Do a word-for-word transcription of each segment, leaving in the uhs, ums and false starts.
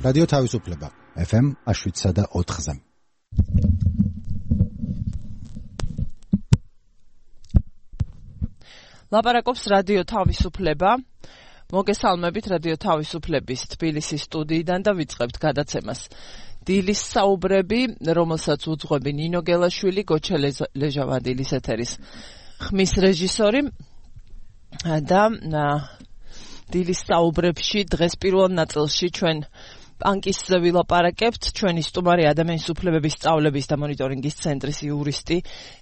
რადიო თავისუფლება ეფ ემ შვიდსა და ოთხზე. ლაპარაკობს რადიო თავისუფლება. მოგესალმებით რადიო თავისუფლების თბილისის სტუდიიდან და ვიწყებთ გადაცემას. დილის საუბრები, რომელსაც უძღვები ნინო გელაშვილი, გოჩა ლეჟავადილის ეთერის ხმის რეჟისორი და დილის საუბრებში დღეს პირველ ნაწილში ჩვენ პანკის ვილაპარაკებთ. ჩვენი სტუმარი ადამიანის უფლებების სწავლების და მონიტორინგის ცენტრის იურისტი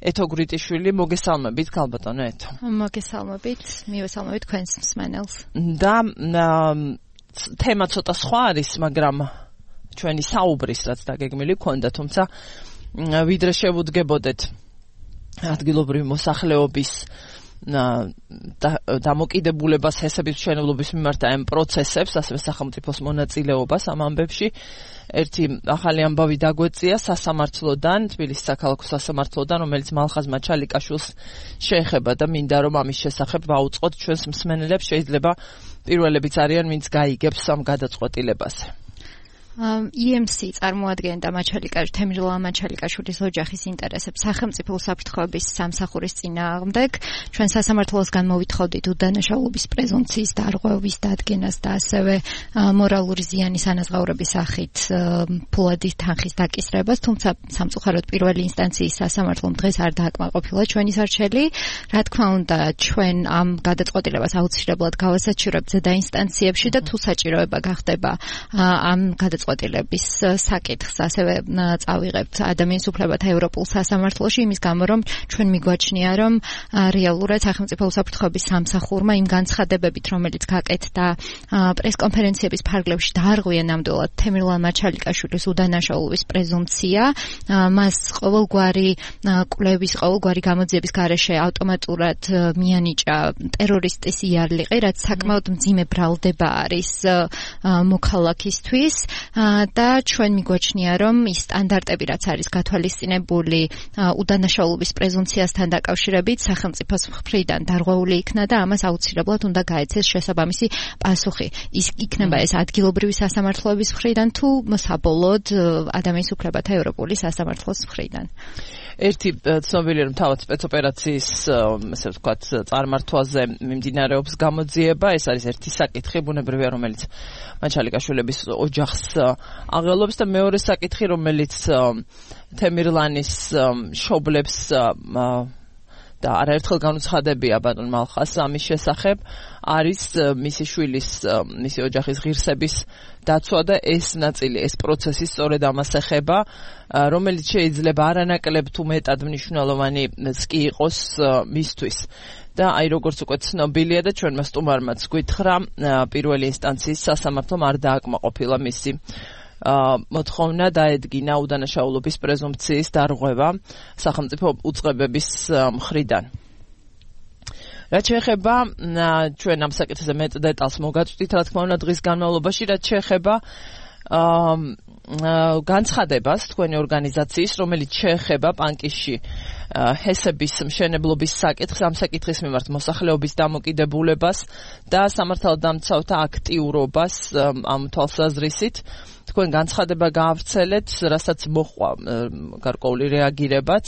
ეთო გრიტიშვილი. მოგესალმებით ქალბატონო ეთო. მოგესალმებით, მივესალმებით თქვენს მსმენელს. და თემა ცოტა სხვა არის, მაგრამ ჩვენი საუბრის რაც დაგეგმილი ქონდა, თუმცა ვიდრე შევუდგებოდეთ ადგილობრივი მოსახლეობის დამოკიდებულებას ჰესების მშენებლობის მიმართ ამ პროცესებს, ასევე სახელმწიფოს მონაწილეობას ამ ამბებში. ერთი ახალი ამბავი დაგვეწია სასამართლოდან, თბილისის საქალაქო სასამართლოდან, რომელიც მალხაზ მაჩალიკაშვილს შეეხება და მინდა რომ ამის შესახებ ვაუწყოთ ჩვენს მსმენელებს. შეიძლება პირველებიც არიან, ვინც გაიგებს ამ გადაწყვეტილებაზე. ი ემ სი წარმოადგენდა თემირლავა მაჩალიკაშვილის ოჯახის ინტერესებს სახელმწიფო უსაფრთხოების სამსახურის წინააღმდეგ. ჩვენ სასამართლოსგან მოვითხოვდით უდანაშაულობის პრეზუმპციის დარღვევის დადგენას და ასევე მორალური ზიანის ანაზღაურების სახით ფულადი თანხის დაკისრებას, თუმცა სამწუხაროდ პირველი ინსტანციის სასამართლომ დღეს არ დააკმაყოფილა ჩვენი სარჩელი. რა თქმა უნდა, ჩვენ ამ გადაწყვეტილებას აუცილებლად გავასაჩივრებთ ზედა ინსტანციებში და თუ საჭიროება გახდება ამ გადაწყვეტილებას წყვეტილების საკითხს ასევე წავიღებთ ადამიანის უფლებათა ევროპულ სასამართლოში, იმის გამო რომ ჩვენ მიგვაჩნია რომ რეალურად სახელმწიფო უსაფრთხოების სამსახურმა იმ განცხადებებით, რომელიც გაკეთდა პრესკონფერენციების ფარგლებში დაარღვია ნამდვილად თემირლავა მაჩალიკაშვილის უდანაშაულობის პრეზუმპცია, მას ყოველგვარი კვლევის, ყოველგვარი გამოძიების გარეშე ავტომატურად მიანიჭა ტერორისტის იარლიყი, რაც საკმაოდ მძიმე ბრალდება არის მოქალაქისთვის. და ჩვენ მიგვაჩნია რომ ის სტანდარტები რაც არის გათვალისწინებული უდანაშაულობის პრეზუმპციასთან დაკავშირებით სახელმწიფოს მხრიდან დარღვეული იქნა და ამას აუცილებლად უნდა გაეცეს შესაბამისი პასუხი. ის იქნება ეს ადგილობრივი სასამართლოების მხრიდან თუ საბოლოოდ ადამიანის უფლებათა ევროპული სასამართლოს მხრიდან. ერთი ცნობილი რომ თავად სპეცოპერაციის ესე ვთქვათ წარმართვაზე მიმდინარეობს გამოძიება. ეს არის ერთი საკითხი ბუნებრივია, რომელიც მაჩალიკაშვილების ოჯახს აღელვებს და მეორე საკითხი, რომელიც თემირლანის მშობლებს და არაერთხელ განუცხადებია ბატონ მალხას ამის შესახებ, არის მისი შვილის, მისი ოჯახის ღირსების დაცვა და ეს ნაწილი, ეს პროცესი სწორედ ამას ეხება, რომელიც შეიძლება არანაკლებ თუ მეტად მნიშვნელოვანიც კი იყოს მისთვის. და აი როგორც უკვე ცნობილია და ჩვენმა სტუმარმაც გითხრა, პირველი ინსტანციის სასამართლომ არ დააკმაყოფილა მისი მოთხოვნა დაედგინა უდანაშაულობის პრეზუმპციის დარღვევა სახელმწიფო უწყებების მხრიდან. რაც შეეხება ჩვენ ამ საკითხზე მეტ დეტალს მოგაწვდით, რა თქმა უნდა დღის განმავლობაში, რაც შეეხება განცხადებას თქვენი ორგანიზაციის, რომელიც შეეხება პანკისში ჰესების მშენებლობის საკითხს, ამ საკითხის მიმართ მოსახლეობის დამოკიდებულებას და სამართალდამცავთა აქტიურობას ამ თვალსაზრისით. თქვენ განცხადება გაავრცელეთ, რასაც მოჰყვა გარკვეული რეაგირებაც.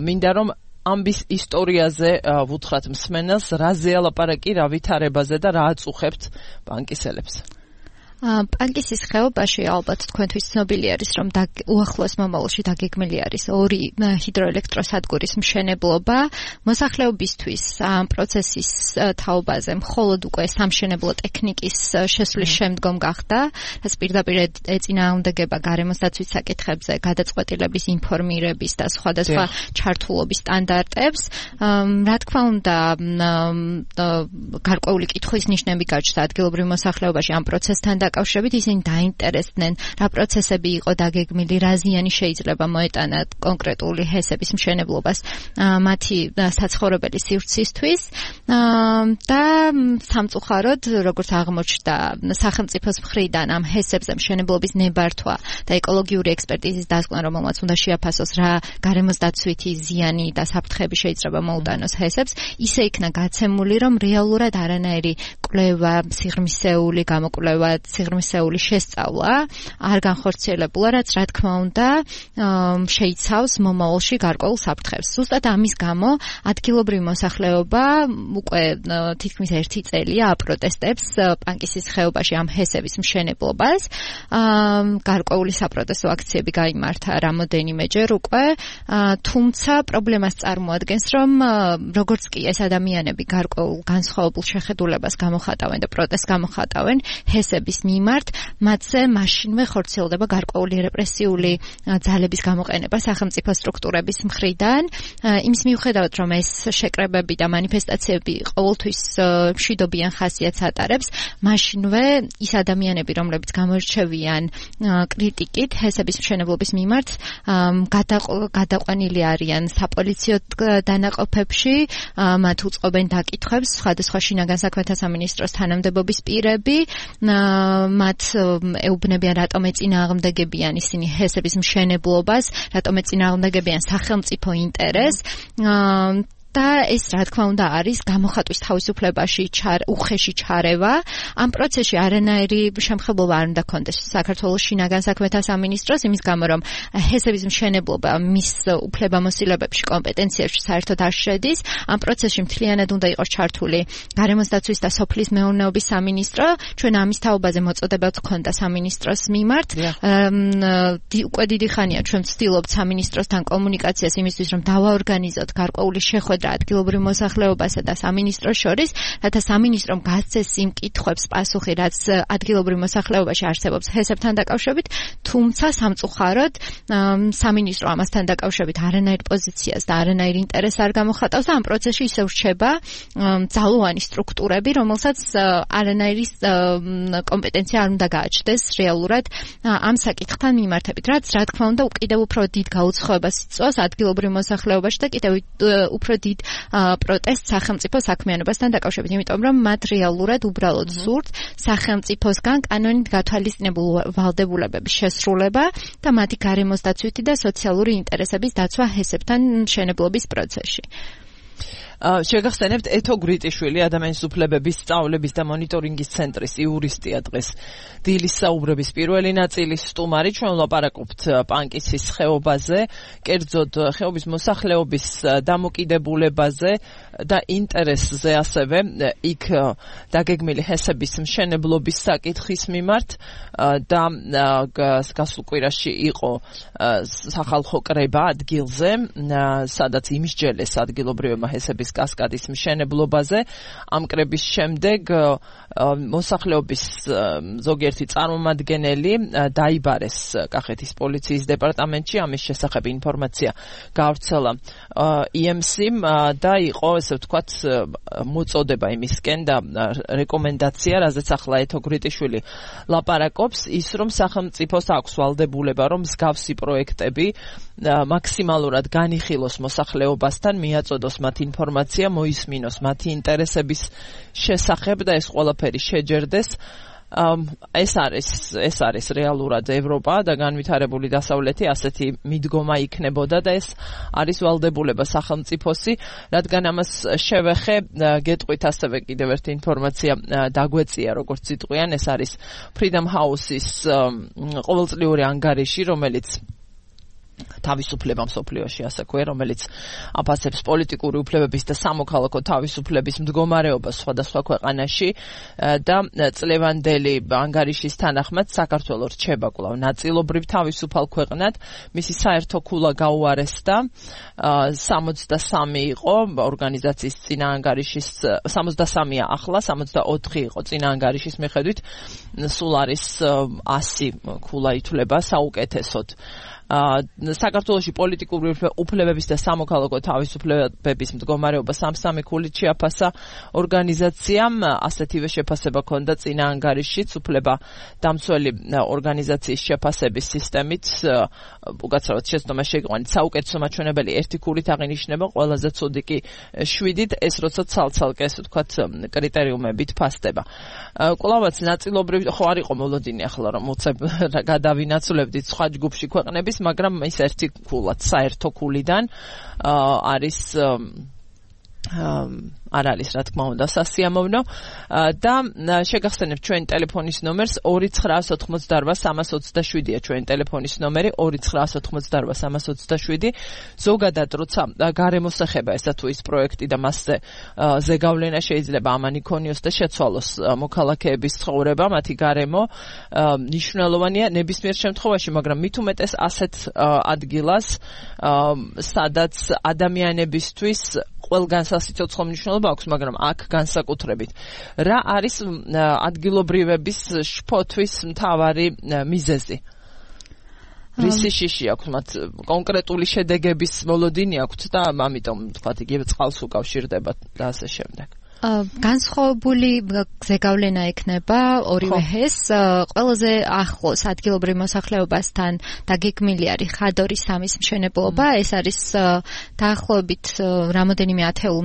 მინდა რომ ამბის ისტორიაზე ვუთხრათ მსმენელს, რაზეა ლაპარაკი, რა ვითარებაზე და რა აწუხებთ პანკისელებს. პანკისის ხეობაში ალბათ თქვენთვის ცნობილი არის, რომ უახლოეს მომავალში დაგეგმილი არის ორი ჰიდროელექტროსადგურის მშენებლობა. მოსახლეობისთვის ამ პროცესის თაობაზე მხოლოდ უკვე სამშენებლო ტექნიკის შესვლის შემდგომ გახდა, რაც პირდაპირ ეწინააღმდეგება გარემოს დაცვის საკითხებზე გადაწყვეტილების ინფორმირების და სხვადასხვა ჩართულობის სტანდარტებს. რა თქმა უნდა, გარკვეული კითხვის ნიშნები გაჩნდა ადგილობრივ მოსახლეობაში ამ პროცესთან დაკავშირებით, ისინი დაინტერესდნენ, რა პროცესები იყო დაგეგმილი, რა ზიანი შეიძლება მოეტანა კონკრეტული ჰესების მშენებლობას მათი საცხოვრებელი სივრცისთვის და სამწუხაროდ, როგორც აღმოჩნდა სახელმწიფოს მხრიდან ამ ჰესებზე მშენებლობის ნებართვა და ეკოლოგიური ექსპერტიზის დასკვნა, რომელმაც უნდა შეაფასოს რა გარემოს დაცვითი ზიანი და საფრთხეები შეიძლება მოუტანოს ჰესებს, ისე იქნა გაცემული, რომ რეალურად არანაირი კვლევა, სიღრმისეული გამოკვლევა, სიღრმისეული შესწავლა არ განხორციელებულა, რაც რა თქმა უნდა შეიცავს მომავალში გარკვეულ საფრთხეს. ზუსტად ამის გამო ადგილობრივი მოსახლეობა უკვე თითქმის ერთი წელია აპროტესტებს პანკისის ხეობაში ამ ჰესების მშენებლობას. გარკვეული საპროტესტო აქციები გაიმართა რამოდენიმეჯერ უკვე, თუმცა პრობლემას წარმოადგენს, რომ როგორც კი ეს ადამიანები გარკვეულ განსხვავებულ შეხედულებას გამოხატავენ და პროტესტს გამოხატავენ ჰესების მიმართ, მათზე მაშინვე ხორციელდება გარკვეული რეპრესიული ძალების გამოყენება სახელმწიფო სტრუქტურების მხრიდან. იმის მიუხედავად, რომ ეს შეკრებები და მანიფესტაციები ყოველთვის მშვიდობიან ხასიათს ატარებს, მაშინვე ის ადამიანები, რომლებიც გამორჩევიან კრიტიკით ჰესების მშენებლობის მიმართ, გადაყვანილი არიან საპოლიციო დანაყოფებში, მათ უწყობენ დაკითხვებს სხვადასხვა შინაგან საქმეთა სამინისტროს თანამდებობის პირები, მათ ეუბნებიან, რატომ ეწინააღმდეგებიან ისინი ჰესების მშენებლობას, რატომ ეწინააღმდეგებიან სახელმწიფო ინტერესს. და ეს რა თქმა უნდა არის გამოხატვის თავისუფლებაში უხეში ჩარევა. ამ პროცესში არანაირი შემხებლობა არ უნდა კონდეს საქართველოს შინაგან საქმეთა სამინისტროს, იმის გამო რომ ჰესების მშენებლობა მის უფლებამოსილებებში კომპეტენციებში საერთოდ არ შედის. ამ პროცესში მთლიანად უნდა იყოს ჩართული გარემოს დაცვის და სოფლის მეურნეობის სამინისტრო. ჩვენ ამის თაობაზე მოწოდებაც ჰქონდა სამინისტროს მიმართ. უკვე დიდი ხანია ჩვენ ვცდილობთ სამინისტროსთან კომუნიკაციას იმისთვის, რომ დავაორგანიზოთ გარკვეული შეხვედრა ადგილობრივ მოსახლეობასა და სამინისტროს შორის, რათა სამინისტრომ გასცეს იმ კითხვებს პასუხი, რაც ადგილობრივ მოსახლეობაში არსებობს ჰესებთან დაკავშირებით, თუმცა სამწუხაროდ სამინისტრო ამასთან დაკავშირებით არანაირ პოზიციას და არანაირ ინტერესს არ გამოხატავს და ამ პროცესში ისევ რჩება ძალოვანი სტრუქტურები, რომელსაც არანაირი კომპეტენცია არ უნდა გააჩნდეს რეალურად ამ საკითხთან მიმართებით, რაც რა თქმა უნდა კიდევ უფრო დიდ გაუცხოებას იწვევს ადგილობრივ მოსახლეობაში და კიდევ უფრო დიდ პროტესტ სახელმწიფო საქმიანობასთან დაკავშირებით, იმიტომ რომ მათ რეალურად უბრალოდ სურთ სახელმწიფოსგან კანონით გათვალისწინებულ ვალდებულებების შესრულება და მათი გარემოს დაცვითი და სოციალური ინტერესების დაცვა ჰესებთან მშენებლობის პროცესში. შეგახსენებთ ეთო გრიტიშვილი, ადამიანის უფლებების სწავლების და მონიტორინგის ცენტრის იურისტია დღეს დილის საუბრების პირველი ნაწილის სტუმარი. ჩვენ ვლაპარაკობთ პანკისის ხეობაზე, კერძოდ ხეობის მოსახლეობის დამოკიდებულებაზე და ინტერესზე, ასევე იქ დაგეგმილი ჰესების მშენებლობის საკითხის მიმართ და გასულ კვირაში იყო სახალხო კრება ადგილზე, სადაც იმსჯელეს ადგილობრივებმა ჰესების კასკადის მშენებლობაზე. ამ კრების შემდეგ მოსახლეობის ზოგიერთი წარმომადგენელი დაიბარეს კახეთის პოლიციის დეპარტამენტში. ამის შესახებ ინფორმაცია გავრცელა ი ემ სი-მ და იყო, ესე ვთქვათ, მოწოდება იმისკენ და რეკომენდაცია, რაზეც ახლა ეთო გრიტიშვილი ლაპარაკობს, ის რომ სახელმწიფოს აქვს ვალდებულება, რომ მსგავსი პროექტები მაქსიმალურად განიხილოს მოსახლეობასთან, მიაწოდოს მათ ინფორმაცია, მოისმინოს მათი ინტერესების შესახებ და ეს ყველაფერი შეჯერდეს. ეს არის ეს არის რეალურად ევროპა და განვითარებული დასავლეთი, ასეთი მიდგომა იქნებოდა და ეს არის ვალდებულება სახელმწიფოსი, რადგან ამას შევეხე, გეტყვით ასევე კიდევ ერთი ინფორმაცია დაგვეწია, როგორც იტყვიან, ეს არის Freedom House-ის ყოველწლიური ანგარიში, რომელიც თავისუფლება მსოფლიოში, ასე ქვია, რომელიც აფასებს პოლიტიკური უფლებების და სამოქალაქო თავისუფლების მდგომარეობას სხვადასხვა ქვეყანაში და წლევანდელი ანგარიშის თანახმად საქართველო რჩება კვლავ ნაწილობრივ თავისუფალ ქვეყნად. მისი საერთო ქულა გაუარესდა, სამოცდასამი იყო ორგანიზაციის წინა ანგარიშის, სამოცდასამია ახლა, სამოცდაოთხი იყო წინა ანგარიშის მიხედვით, სულ არის ასი ქულა ითვლება საუკეთესოდ. საქართველოში პოლიტიკური უფლებების და სამოქალაქო თავისუფლებების მდგომარეობა სამსამი ქულით შეაფასა ორგანიზაციამ, ასეთივე შეფასება ჰქონდა წინა ანგარიშიც, უფლება დამცველი ორგანიზაციის შეფასების სისტემით, უკაცრავად შეცდომა შეიყვანით, საუკეთესო მაჩვენებელი ერთი ქულით აღინიშნება, ყველაზე ცუდი კი შვიდით, ეს როცა ცალ-ცალკე, ესე ვთქვათ, კრიტერიუმებით ფასდება. კვლავაც ნაწილობრივ ხო არ იყო მოლოდინი ახლა რომ უცებ გადავინაცვლებდით სხვა ჯგუფში ქვეყნების, მაგრამ ის ერთი ქულად, საერთო ქულიდან არის არ არის რა თქმა უნდა სასიამოვნო და შეგახსენებთ ჩვენ ტელეფონის ნომერს ორი ცხრა ოთხმოცდაოთხ სამას ოცდაშვიდია ჩვენ ტელეფონის ნომერი ორი ცხრა ოთხმოცდაოთხ სამას ოცდაშვიდი ზოგადად როცა გარემოს ეხება ესა თუ ის პროექტი და მასზე ზეგავლენა შეიძლება ამან იქონიოს და შეცვალოს მოქალაქეების ცხოვრება მათი გარემო მნიშვნელოვანია ნებისმიერ შემთხვევაში მაგრამ მით უმეტეს ასეთ ადგილას სადაც ადამიანებისთვის ყველგან სასიცოცხლო მნიშვნელობა აქვს, მაგრამ აქ განსაკუთრებით. რა არის ადგილობრივების შფოთვის მთავარი მიზეზი? რისი შიში აქვს მათ კონკრეტული შედეგების მოლოდინი აქვთ და ამიტომ თქვათ იგივე წყალს უკავშირდება და ასე შემდეგ. განსხვავებული ზეგავლენა ექნება ორივე ჰეს ყველაზე ახლოს ადგილობრივ მოსახლეობასთან დაგეგმილი არის ხადორის სამის მშენებლობა ეს არის დაახლოებით რამოდენიმე ათეულ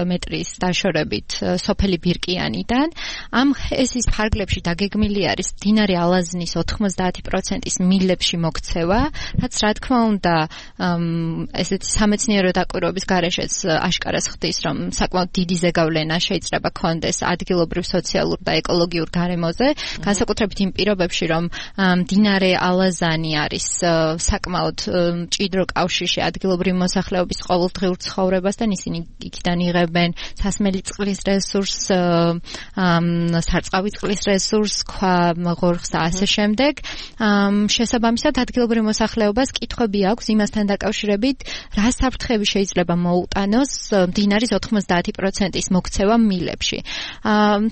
მეტრის დაშორებით სოფელი ბირკიანიდან ამ ჰესის ფარგლებში დაგეგმილი არის მდინარე ალაზნის ოთხმოცდაათი პროცენტის მილებში მოქცევა რაც რა თქმა უნდა ესეთი სამეცნიერო დაკვირვების გარეშეც აშკარას ხდის რომ საკმაოდ დიდი ზეგავლენა შეიძლება კონდეს ადგილობრივ სოციალურ და ეკოლოგიურ გარემოზე, განსაკუთრებით იმ პირობებში, რომ მდინარე ალაზანი არის საკმაოდ მჭიდრო კავშირში ადგილობრივ მოსახლეობის ყოველდღიურ ცხოვრებასთან, ისინი იქიდან იღებენ სასმელი წყლის რესურსს, სარწყავი წყლის რესურსს, ქვაღორღს და ასე შემდეგ. შესაბამისად, ადგილობრივ მოსახლეობას კითხვები აქვს იმასთან დაკავშირებით, რა საფრთხები შეიძლება მოუტანოს მდინარის ოთხმოცდაათი პროცენტის მოქცევა მილებში.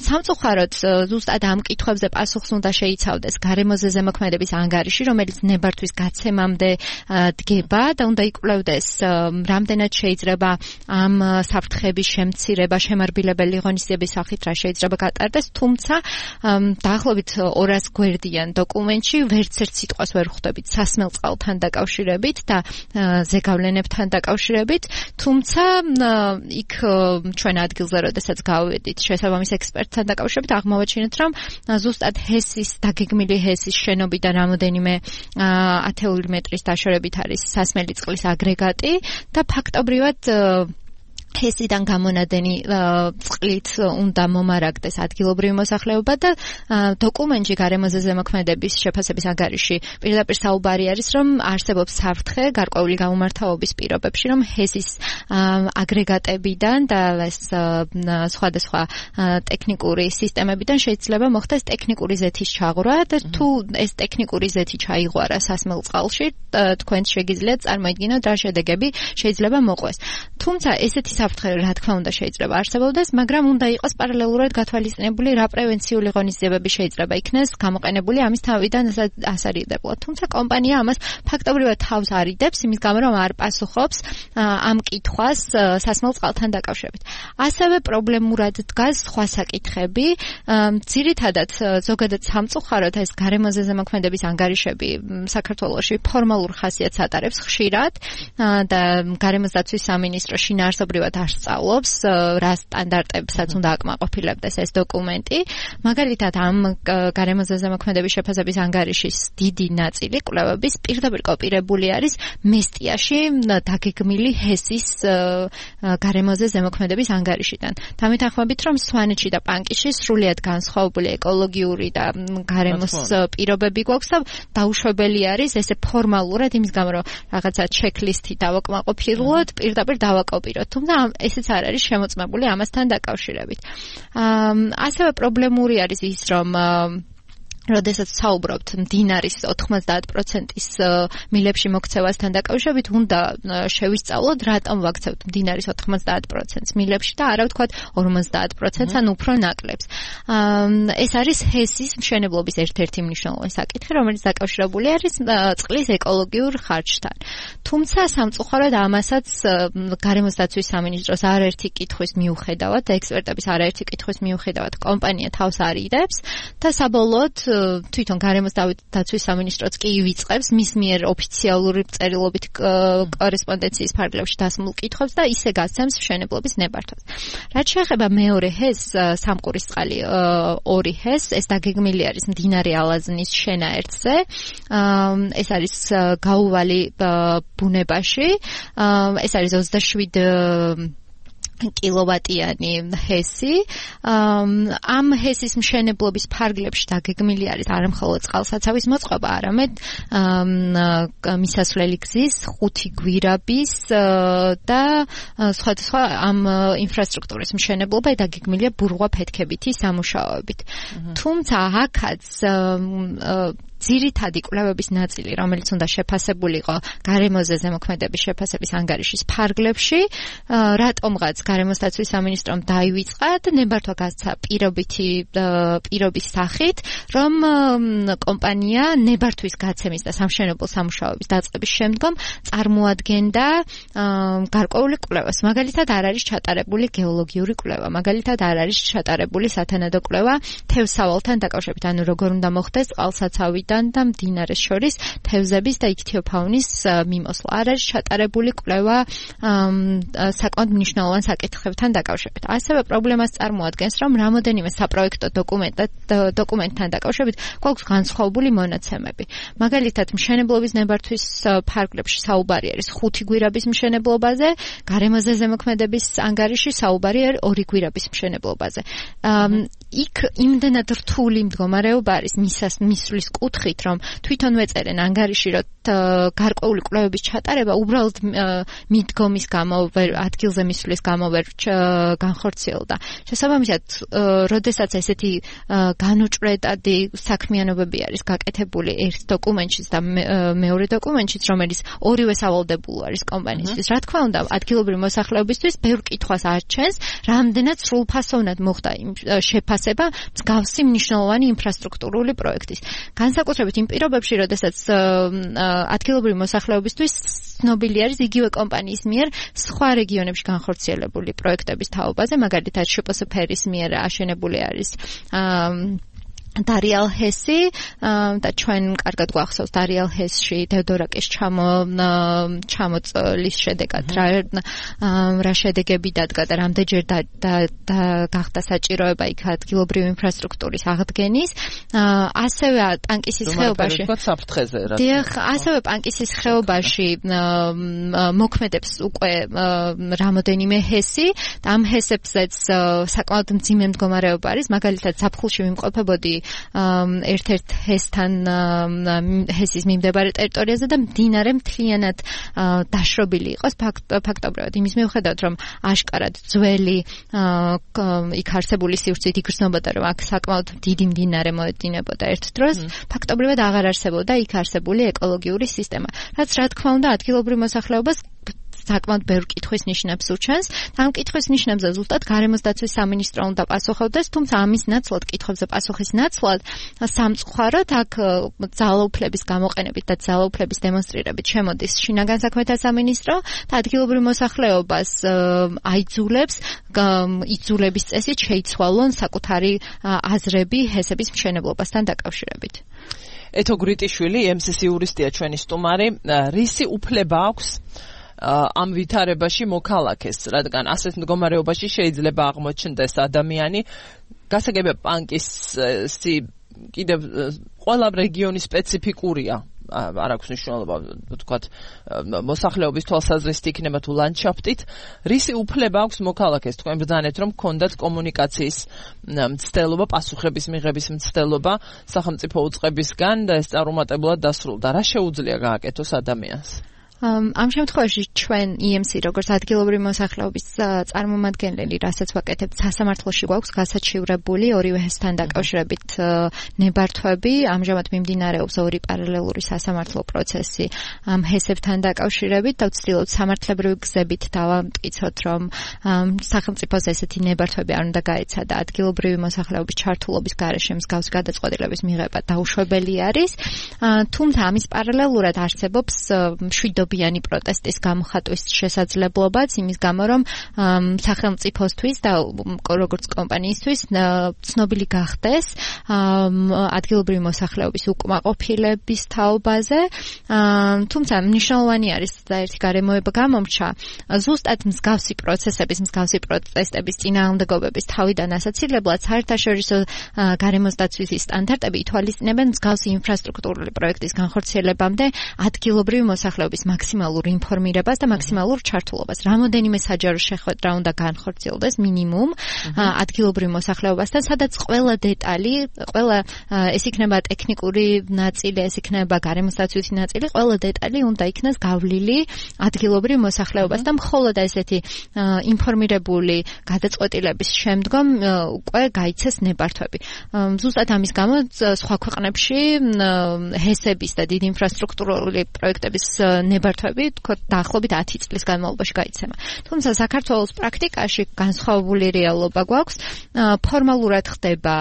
სამწუხაროდ ზუსტად ამ კითხვებზე პასუხს უნდა შეიცავდეს გარემოზე ზემოქმედების ანგარიში, რომელიც ნებართვის გაცემამდე დგება და უნდა იკვლევდეს რამდენად შეიძლება ამ საფრთხების შემცირება შემარბილებელი ღონისძიების სახით რა შეიძლება გატარდეს, თუმცა დაახლოებით ორას გვერდიან დოკუმენტში ვერც ერთ სიტყვას ვერ ხვდებით სასმელ წყალთან დაკავშირებით და ზეგავლენებთან დაკავშირებით, თუმცა იქ ჩვენ ადგილზე როდესაც გავედით შესაბამის ექსპერტთან დაკავშირებით აღმოვაჩინეთ რომ ზუსტად ჰესის დაგეგმილი ჰესის შენობიდან რამოდენიმე ათეული მეტრის დაშორებით არის სასმელი წყლის აგრეგატი და ფაქტობრივად ჰესიდან გამონადენი წყლით უნდა მომარაგდეს ადგილობრივი მოსახლეობა და დოკუმენტში გარემოზე ზემოქმედების შეფასების ანგარიში პირდაპირ საუბარი არის რომ არსებობს საფრთხე გარკვეული გამომართავობის პირობებში რომ ჰესის აგრეგატებიდან და ეს სხვადასხვა ტექნიკური სისტემებიდან შეიძლება მოხდეს ტექნიკური ზეთის ჩაღვრა და თუ ეს ტექნიკური ზეთი ჩაიღვარა სასმელ წყალში თქვენ შეგიძლიათ წარმოიდგინოთ რა შედეგები შეიძლება მოყვეს თუმცა ესეთი საფრთხე რა თქმა უნდა შეიძლება არსებობდეს, მაგრამ უნდა იყოს პარალელურად გათვალისწინებული რა პრევენციული ღონისძიებები შეიძლება იქნეს გამოყენებული ამის თავიდან ასარიდებლად. თუმცა კომპანია ამას ფაქტობრივად თავს არიდებს, იმის გამო რომ არ პასუხობს ამ კითხვას სასმელ წყალთან დაკავშირებით. ასევე პრობლემურად დგას სხვა საკითხები, ძირითადად ზოგადად სამწუხაროდ ეს გარემოზე ზემოქმედების ანგარიშები საქართველოში ფორმალურ ხასიათს ატარებს ხშირად და გარემოსდაცვის სამინისტრო შინაარსობრივად არ სწავლობს რა სტანდარტებსაც უნდა აკმაყოფილებდეს ეს დოკუმენტი. მაგალითად ამ გარემოზე ზემოქმედების შეფასების ანგარიშის დიდი ნაწილი კვლევების პირდაპირ კოპირებული არის მესტიაში დაგეგმილი ჰესის გარემოზე ზემოქმედების ანგარიშიდან. დამეთანხმებით რომ სვანეთში და პანკისში სრულიად განსხვავებული ეკოლოგიური და გარემოს პირობები გვაქვს და დაუშვებელი არის ესე ფორმალურად იმის გამო რომ რაღაცა ჩეკლისტი დავაკმაყოფილოთ, პირდაპირ დავაკოპიროთ. თუმცა ესეც არ არის შემოწმებული ამასთან დაკავშირებით. ასევე პრობლემური არის ის, რომ როდესაც საუბრობთ მდინარის ოთხმოცდაათი პროცენტის მილებში მოქცევასთან დაკავშირებით, უნდა შევისწავლოთ, რატომ ვაქცევთ მდინარის ოთხმოცდაათი პროცენტს მილებში და არა ვთქვათ ორმოცდაათი პროცენტს ან უფრო ნაკლებს. ეს არის ჰესის მშენებლობის ერთ-ერთი მნიშვნელოვანი საკითხი, რომელიც დაკავშირებული არის წყლის ეკოლოგიურ ხარჯთან. თუმცა სამწუხაროდ ამასაც გარემოსდაცვის სამინისტროს არაერთი კითხვის მიუხედავად და ექსპერტების არაერთი კითხვის მიუხედავად კომპანია თავს არიდებს და საბოლოოდ თვითონ გარემოსდაცვის სამინისტროც კი ივიწყებს მის მიერ ოფიციალური წერილობით კორესპონდენციის ფარგლებში დასმულ კითხვებს და ისე გასცემს მშენებლობის ნებართვას. რაც შეეხება მეორე ჰესს, სამყურისწყალი ორი ჰესს, ეს დაგეგმილი არის მდინარე ალაზნის შენაერთზე. ეს არის გაუვალი ბუნებაში. ეს არის ოცდაშვიდ კილოვატიანი ჰესი. ამ ჰესის მშენებლობის ფარგლებში დაგეგმილი არის არა მხოლოდ წყალსაცავის მოწყობა, არამედ მისასვლელი გზის ხუთი გვირაბის და სხვადასხვა ამ ინფრასტრუქტურის მშენებლობა დაგეგმილია ბურღვა-ფეთქებითი სამუშაოებით. თუმცა აქაც ძირითადი კვლევების ნაწილი, რომელიც უნდა შეფასებულიყო გარემოზე ზემოქმედების შეფასების ანგარიშის ფარგლებში, რატომღაც გარემოსდაცვის სამინისტრომ დაივიწყა და ნებართვა გასცა პირობითი პირობის სახით, რომ კომპანია ნებართვის გაცემის და სამშენებლო სამუშაოების დაწყების შემდგომ წარმოადგენდა გარკვეული კვლევას. მაგალითად, არ არის ჩატარებული გეოლოგიური კვლევა, მაგალითად, არ არის ჩატარებული სათანადო კვლევა თევზსავალთან დაკავშირებით, ანუ როგორ უნდა მოხდეს წყალსაცავი და მდინარეს შორის თევზების და იქთიოფაუნის მიმოსვლა. არ არის ჩატარებული კვლევა საკმაოდ მნიშვნელოვან საკითხებთან დაკავშირებით. ასევე პრობლემას წარმოადგენს, რომ რამოდენიმე საპროექტო დოკუმენტთან დაკავშირებით გვაქვს განსხვავებული მონაცემები. მაგალითად, მშენებლობის ნებართვის ფარგლებში საუბარი არის ხუთი გვირაბის მშენებლობაზე, გარემოზე ზემოქმედების ანგარიში საუბარი არის ორი გვირაბის მშენებლობაზე. იქ იმდენად რთული მდგომარეობა არის მისას მისვლის კუთხით, რომ თვითონ მეწერენ ანგარიში, რომ გარკვეული კვლევების ჩატარება უბრალოდ მიდგომის გამო, ადგილზე მისვლის გამო ვერ განხორციელდა. შესაბამისად, როდესაც ესეთი განუჭრეტადი საქმიანობები არის გაკეთებული ერთ დოკუმენტშიც და მეორე დოკუმენტშიც, რომელიც ორივე სავალდებულო არის კომპანიისთვის, რა თქმა უნდა, ადგილობრივი მოსახლეობისთვის ბევრ კითხვას არჩენს, რამდენად სრულფასოვნად მოხდა იმ შეფასება მსგავსი მნიშვნელოვანი ინფრასტრუქტურული პროექტის. განსაკუთრებით იმ პირობებში, როდესაც ადგილობრივი მოსახლეობისთვის ცნობილი არის იგივე კომპანიის მიერ სხვა რეგიონებში განხორციელებული პროექტების თაობაზე, მაგალითად შპსფ-ის მიერ აშენებული არის დარიალ ჰესი და ჩვენ კარგად გვახსოვს დარიალ ჰესში დევდორაკის ჩამო ჩამოწლის შედეგად რა რა შედეგები დადგა და რამდენჯერ გახდა საჭიროება იქ ადგილობრივი ინფრასტრუქტურის აღდგენის. ასევე პანკისის ხეობაში დიახ, ასევე პანკისის ხეობაში მოქმედებს უკვე რამოდენიმე ჰესი და ამ ჰესებზეც საკმაოდ მძიმე მდგომარეობა არის. მაგალითად, ზაფხულში ვიმყოფებოდი ერთ-ერთ ჰესთან ჰესის მიმდებარე ტერიტორიაზე და მდინარე მთლიანად დაშრობილი იყოს ფაქტობრივად იმის მიუხედავად, რომ აშკარად ძველი იქ არსებული სივრცით იგრძნობოდა, რომ აქ საკმაოდ დიდი მდინარე მოედინებოდა ერთ დროს, ფაქტობრივად აღარ არსებობდა იქ არსებული ეკოლოგიური სისტემა, რაც რა თქმა უნდა ადგილობრივ მოსახლეობას საკმაოდ ბევრ კითხვის ნიშნებს უჩენს. ამ კითხვის ნიშნებზე ზუსტად გარემოსდაცვის სამინისტრო უნდა პასუხობდეს, თუმცა ამის ნაცვლად, კითხვებზე პასუხის ნაცვლად, სამწუხაროდ აქ ძალაუფლების გამოყენებით და ძალაუფლების დემონსტრირებით შემოდის შინაგან საქმეთა სამინისტრო და ადგილობრივ მოსახლეობას აიძულებს იძულების წესით შეიცვალონ საკუთარი აზრები ჰესების მშენებლობასთან დაკავშირებით. ეთო გრიტიშვილი, ემ სი სი იურისტია ჩვენი სტუმარი, რისი უფლება აქვს ამ ვითარებაში მოქალაქეს, რადგან ასეთ მდგომარეობაში შეიძლება აღმოჩნდეს ადამიანი, გასაგებია პანკისი კიდევ ყველა რეგიონი სპეციფიკურია, არ აქვს მნიშვნელობა, ვთქვათ, მოსახლეობის თვალსაზრისით იქნება თუ ლანდშაფტით, რისი უფლება აქვს მოქალაქეს, თქვენ ბრძანეთ, რომ გქონდათ კომუნიკაციის მცდელობა, პასუხების მიღების მცდელობა სახელმწიფო უწყებისგან და ეს წარუმატებლად დასრულდა. რა შეუძლია გააკეთოს ადამიანს? ამ შემთხვევაში ჩვენ ი ემ სი როგორც ადგილობრივი მოსახლეობის წარმომადგენლები, რასაც ვაკეთებთ, სასამართლოში გვაქვს გასაჩივრებული ორივე ჰესთან დაკავშირებით ნებართვები. ამჟამად მიმდინარეობს ორი პარალელური სასამართლო პროცესი ამ ჰესებთან დაკავშირებით და ვცდილობთ სამართლებრივი გზებით დავამტკიცოთ, რომ სახელმწიფოს ესეთი ნებართვები არ უნდა გაეცადა ადგილობრივი მოსახლეობის ჩართულობის გარეშე მსგავსი გადაწყვეტილების მიღება დაუშვებელი არის. თუმცა ამის პარალელურად არსებობს მშვიდობიანი პროტესტის გამოხატვის შესაძლებლობაც, იმის გამო, რომ სახელმწიფოსთვის და როგორც კომპანიისთვის ცნობილი გახდეს ადგილობრივი მოსახლეობის უკმაყოფილების თაობაზე. თუმცა მნიშვნელოვანი არის და ერთი გარემოება გამომრჩა, ზუსტად მსგავსი პროცესების, მსგავსი პროტესტების წინააღმდეგობების თავიდან ასაცილებლად საერთაშორისო გარემოსდაცვის სტანდარტები ითვალისწინებენ მსგავსი ინფრასტრუქტურული პროექტის განხორციელებამდე ადგილობრივი მოსახლეობის მაქსიმალურ ინფორმირებას და მაქსიმალურ ჩართულობას. რამოდენიმე საჯარო შეხვედრა უნდა განხორციელდეს მინიმუმ ადგილობრივ მოსახლეობასთან, სადაც ყველა დეტალი, ყველა ეს იქნება ტექნიკური ნაწილი, ეს იქნება გარემოსდაცვითი ნაწილი, ყველა დეტალი უნდა იქნას გავლილი ადგილობრივ მოსახლეობას და მხოლოდ ესეთი ინფორმირებული გადაწყვეტილების შემდგომ უკვე გაიცეს ნებართვები. ზუსტად ამის გამო სხვა ქვეყნებში ჰესების და დიდი ინფრასტრუქტურული პროექტების ნებართვები თქო დაახლოებით ათი წლის განმავლობაში გაიცემა. თუმცა საქართველოს პრაქტიკაში განსხვავებული რეალობა გვაქვს. ფორმალურად ხდება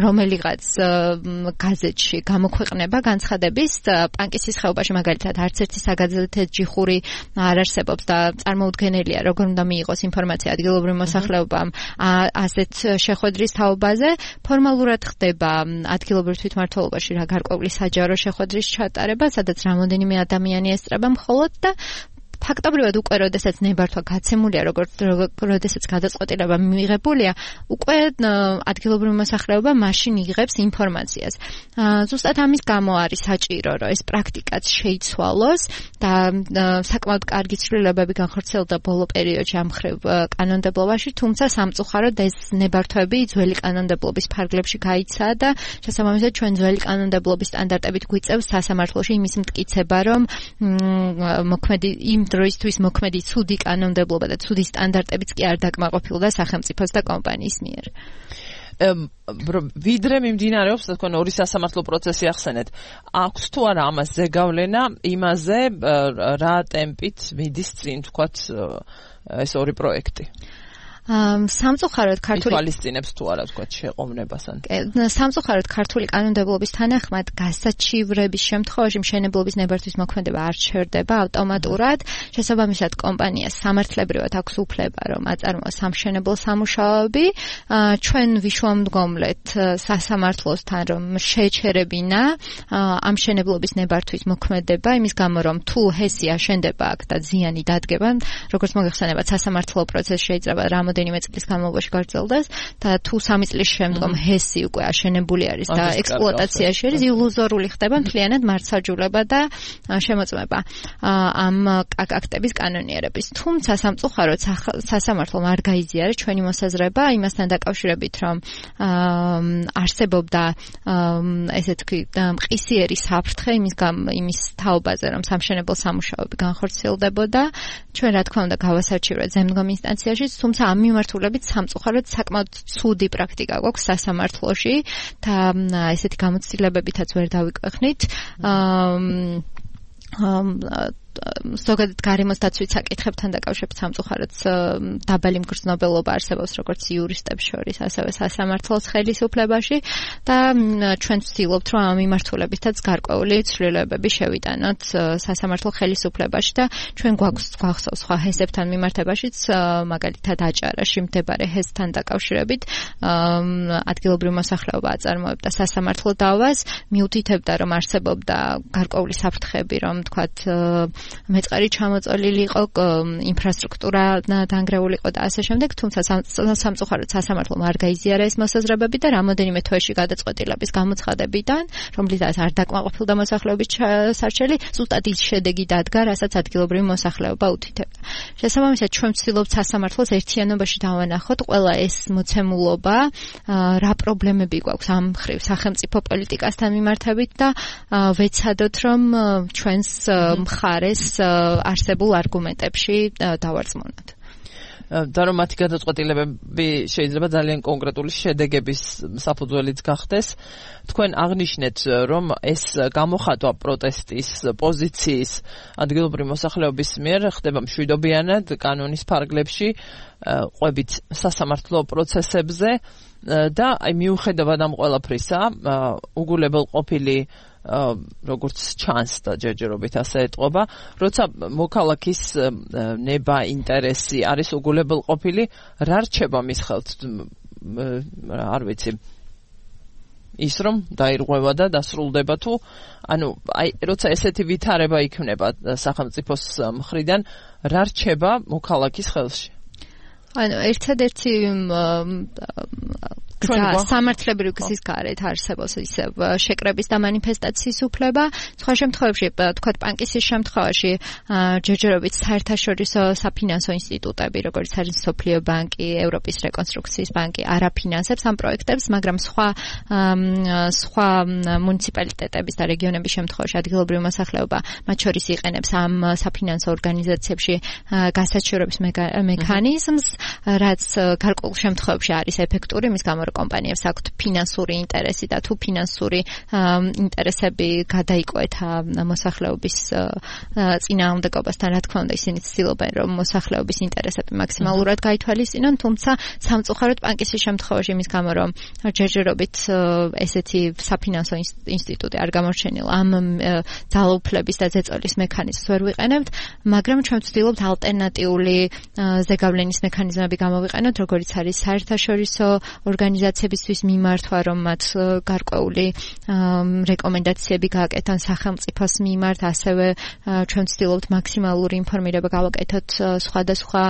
რომელიღაც გაზეთში გამოქვეყნება განცხადების პანკისის ხეობაში მაგალითად არც ერთი საგაზეთო ჯიხური არ არსებობს და წარმოუდგენელია როგორ უნდა მიიღოს ინფორმაცია ადგილობრივ მოსახლეობამ ასეთ შეხვედრის თაობაზე. ფორმალურად ხდება ადგილობრივ თვითმმართველობაში რა გარკვეული საჯარო შეხვედრის ჩატარება, სადაც რამოდენიმე ადამიანი ესწრება მხოლოდ და ფაქტობრივად უკვე როდესაც ნებართვა გაცემულია, როგორც როდესაც გადაწყვეტილება მიღებულია, უკვე ადგილობრივი მოსახლეობა მაშინ იღებს ინფორმაციას. ზუსტად ამის გამო არის საჭირო, რომ ეს პრაქტიკაც შეიცვალოს და საკმაოდ კარგი ცვლილებები განხორციელდა ბოლო პერიოდში ამ მხრივ კანონმდებლობაში, თუმცა სამწუხაროდ ეს ნებართვები ძველი კანონმდებლობის ფარგლებში გაიცა და შესაბამისად ჩვენ ძველი კანონმდებლობის სტანდარტებით გვიწევს სასამართლოში იმის მტკიცება, რომ მოქმედი იმ დროისთვის მოქმედი ცუდი კანონმდებლობა და ცუდი სტანდარტებიც კი არ დაკმაყოფილდა სახელმწიფოს და კომპანიის მიერ. ვიდრე მიმდინარეობს თქვენ ორი სასამართლო პროცესი ახსენეთ. აქვს თუ არა ამას ზეგავლენა იმაზე რა ტემპით მიდის წინ თქვათ ეს ორი პროექტი? სამწუხაროდ ქართული თვალისწინებს თუ არა თქვა შეყოვნებასთან. სამწუხაროდ ქართული კანონმდებლობის თანახმად გასაჩივრების შემთხვევაში მშენებლობის ნებართვის მოქმედება არ ჩერდება ავტომატურად. შესაბამისად კომპანიას სამართლებრივად აქვს უფლება რომ აწარმოოს სამშენებლო სამუშაოები. ჩვენ ვიშუამდგომლეთ სასამართლოსთან რომ შეეჩერებინა ამ მშენებლობის ნებართვის მოქმედება იმის გამო რომ თუ ჰესი აშენდება აქ და ზიანი დადგება, როგორც მოგეხსენებათ სასამართლო პროცესი შეიძლება რამოდენიმე წლის განმავლობაში გაგრძელდეს და თუ სამი წლის შემდგომ ჰესი უკვე აშენებული არის და ექსპლუატაციაში არის, ილუზორული ხდება მთლიანად მართსაჯულება და შემოწმება ამ აქტების კანონიერების. თუმცა სამწუხაროდ სასამართლომ არ გაიზიარა ჩვენი მოსაზრება იმასთან დაკავშირებით, რომ არსებობდა ესე თქვი მყისიერი საფრთხე იმის იმის თაობაზე, რომ სამშენებლო სამუშაოები განხორციელდებოდა. ჩვენ რა თქმა უნდა გავასარჩივრეთ ზემდგომ ინსტანციაში, თუმცა ამ მიმართულებით სამწუხაროდ საკმაოდ ცუდი პრაქტიკა გვაქვს სასამართლოში და ესეთი გამოცდილებებითაც ვერ დავიკვეხნით. ზოგადად გარემოსდაცვით საკითხებთან დაკავშირებით სამწუხაროდ დაბალი მგრძნობელობა არსებობს როგორც იურისტებს შორის, ასევე სასამართლოს ხელისუფლებაში და ჩვენ ვცდილობთ რომ ამ მიმართულებითაც გარკვეული ცვლილებები შევიტანოთ სასამართლო ხელისუფლებაში და ჩვენ გვაქვს გვახსოვს სხვა ჰესებთან მიმართებაშიც, მაგალითად აჭარაში მდებარე ჰესთან დაკავშირებით ადგილობრივი მოსახლეობა აწარმოებდა სასამართლო დავას, მიუთითებდა რომ არსებობდა გარკვეული საფრთხეები, რომ თქვათ მეწყერი ჩამოწოლილი იყო, ინფრასტრუქტურა დანგრეული იყო და ასე შემდეგ, თუმცა სამწუხაროდ სასამართლომ არ გაიზიარა ეს მოსაზრებები და რამოდენიმე თვეში გადაწყვეტილების გამოცხადებიდან, რომლითაც არ დაკმაყოფილდა მოსახლეობის სარჩელი, ზუსტად ის შედეგი დადგა, რასაც ადგილობრივი მოსახლეობა უთითებდა. შესაბამისად, ჩვენ ვცდილობთ სასამართლოს ერთიანობაში დავანახოთ ყველა ეს მოცემულობა, რა პრობლემები გვაქვს ამ მხრივ სახელმწიფო პოლიტიკასთან მიმართებით და ვეცადოთ, რომ ჩვენს მხარეს არსებულ არგუმენტებში დავარწმუნოთ. და რომ მათი გადაწყვეტილებები შეიძლება ძალიან კონკრეტული შედეგების საფუძველიც გახდეს. თქვენ აღნიშნეთ, რომ ეს გამოხატვა პროტესტის პოზიციის ადგილობრივი მოსახლეობის მიერ ხდება მშვიდობიანად კანონის ფარგლებში, ყვებით სასამართლო პროცესებზე და აი მიუხედავად ამ ყველაფრისა, უგულებელყოფილი როგორც ჩანს და ჯერჯერობით ასე ეტყობა, როცა მოქალაქის ნება, ინტერესი არის უგულებელყოფილი, რა რჩება მის ხელთ, არ ვიცი, ის რომ დაირღვევა და დასრულდება თუ, ანუ აი როცა ესეთი ვითარება იქნება სახელმწიფოს მხრიდან, რა რჩება მოქალაქის ხელში? ანუ ერთადერთი გზა სამართლებრივი გზის გარეთ არსებობს ისევ შეკრების და მანიფესტაციის უფლება. სხვა შემთხვევებში, თქვათ პანკისის შემთხვევაში, ჯერჯერობით საერთაშორისო საფინანსო ინსტიტუტები, როგორც არის მსოფლიო ბანკი, ევროპის რეკონსტრუქციის ბანკი, არ აფინანსებს ამ პროექტებს, მაგრამ სხვა სხვა მუნიციპალიტეტების და რეგიონების შემთხვევაში ადგილობრივი მოსახლეობა მათ შორის იყენებს ამ საფინანსო ორგანიზაციებში გასაჩივრების მექანიზმს, რაც გარკვეულ შემთხვევებში არის ეფექტური, მის გამო კომპანიებს აქვთ ფინანსური ინტერესი და თუ ფინანსური ინტერესები გადაიკვეთა მოსახლეობის წინააღმდეგობასთან, რა თქმა უნდა, ისინი ცდილობენ, რომ მოსახლეობის ინტერესები მაქსიმალურად გაითვალისწინონ, თუმცა სამწუხაროდ პანკისის შემთხვევაში მის გამო, რომ ჯერჯერობით ესეთი საფინანსო ინსტიტუტი არ გამორჩენილა, ამ ძალაუფლების და ზეწოლის მექანიზმს ვერ ვიყენებთ, მაგრამ ჩვენ ვცდილობთ ალტერნატიული ზეგავლენის მექანიზმები გამოვიყენოთ, როგორც არის საერთაშორისო ორგანიზაციებისთვის მიმართვა, რომ მათ გარკვეული რეკომენდაციები გააკეთონ სახელმწიფოს მიმართ, ასევე ჩვენ ვცდილობთ მაქსიმალური ინფორმირება გავაკეთოთ სხვადასხვა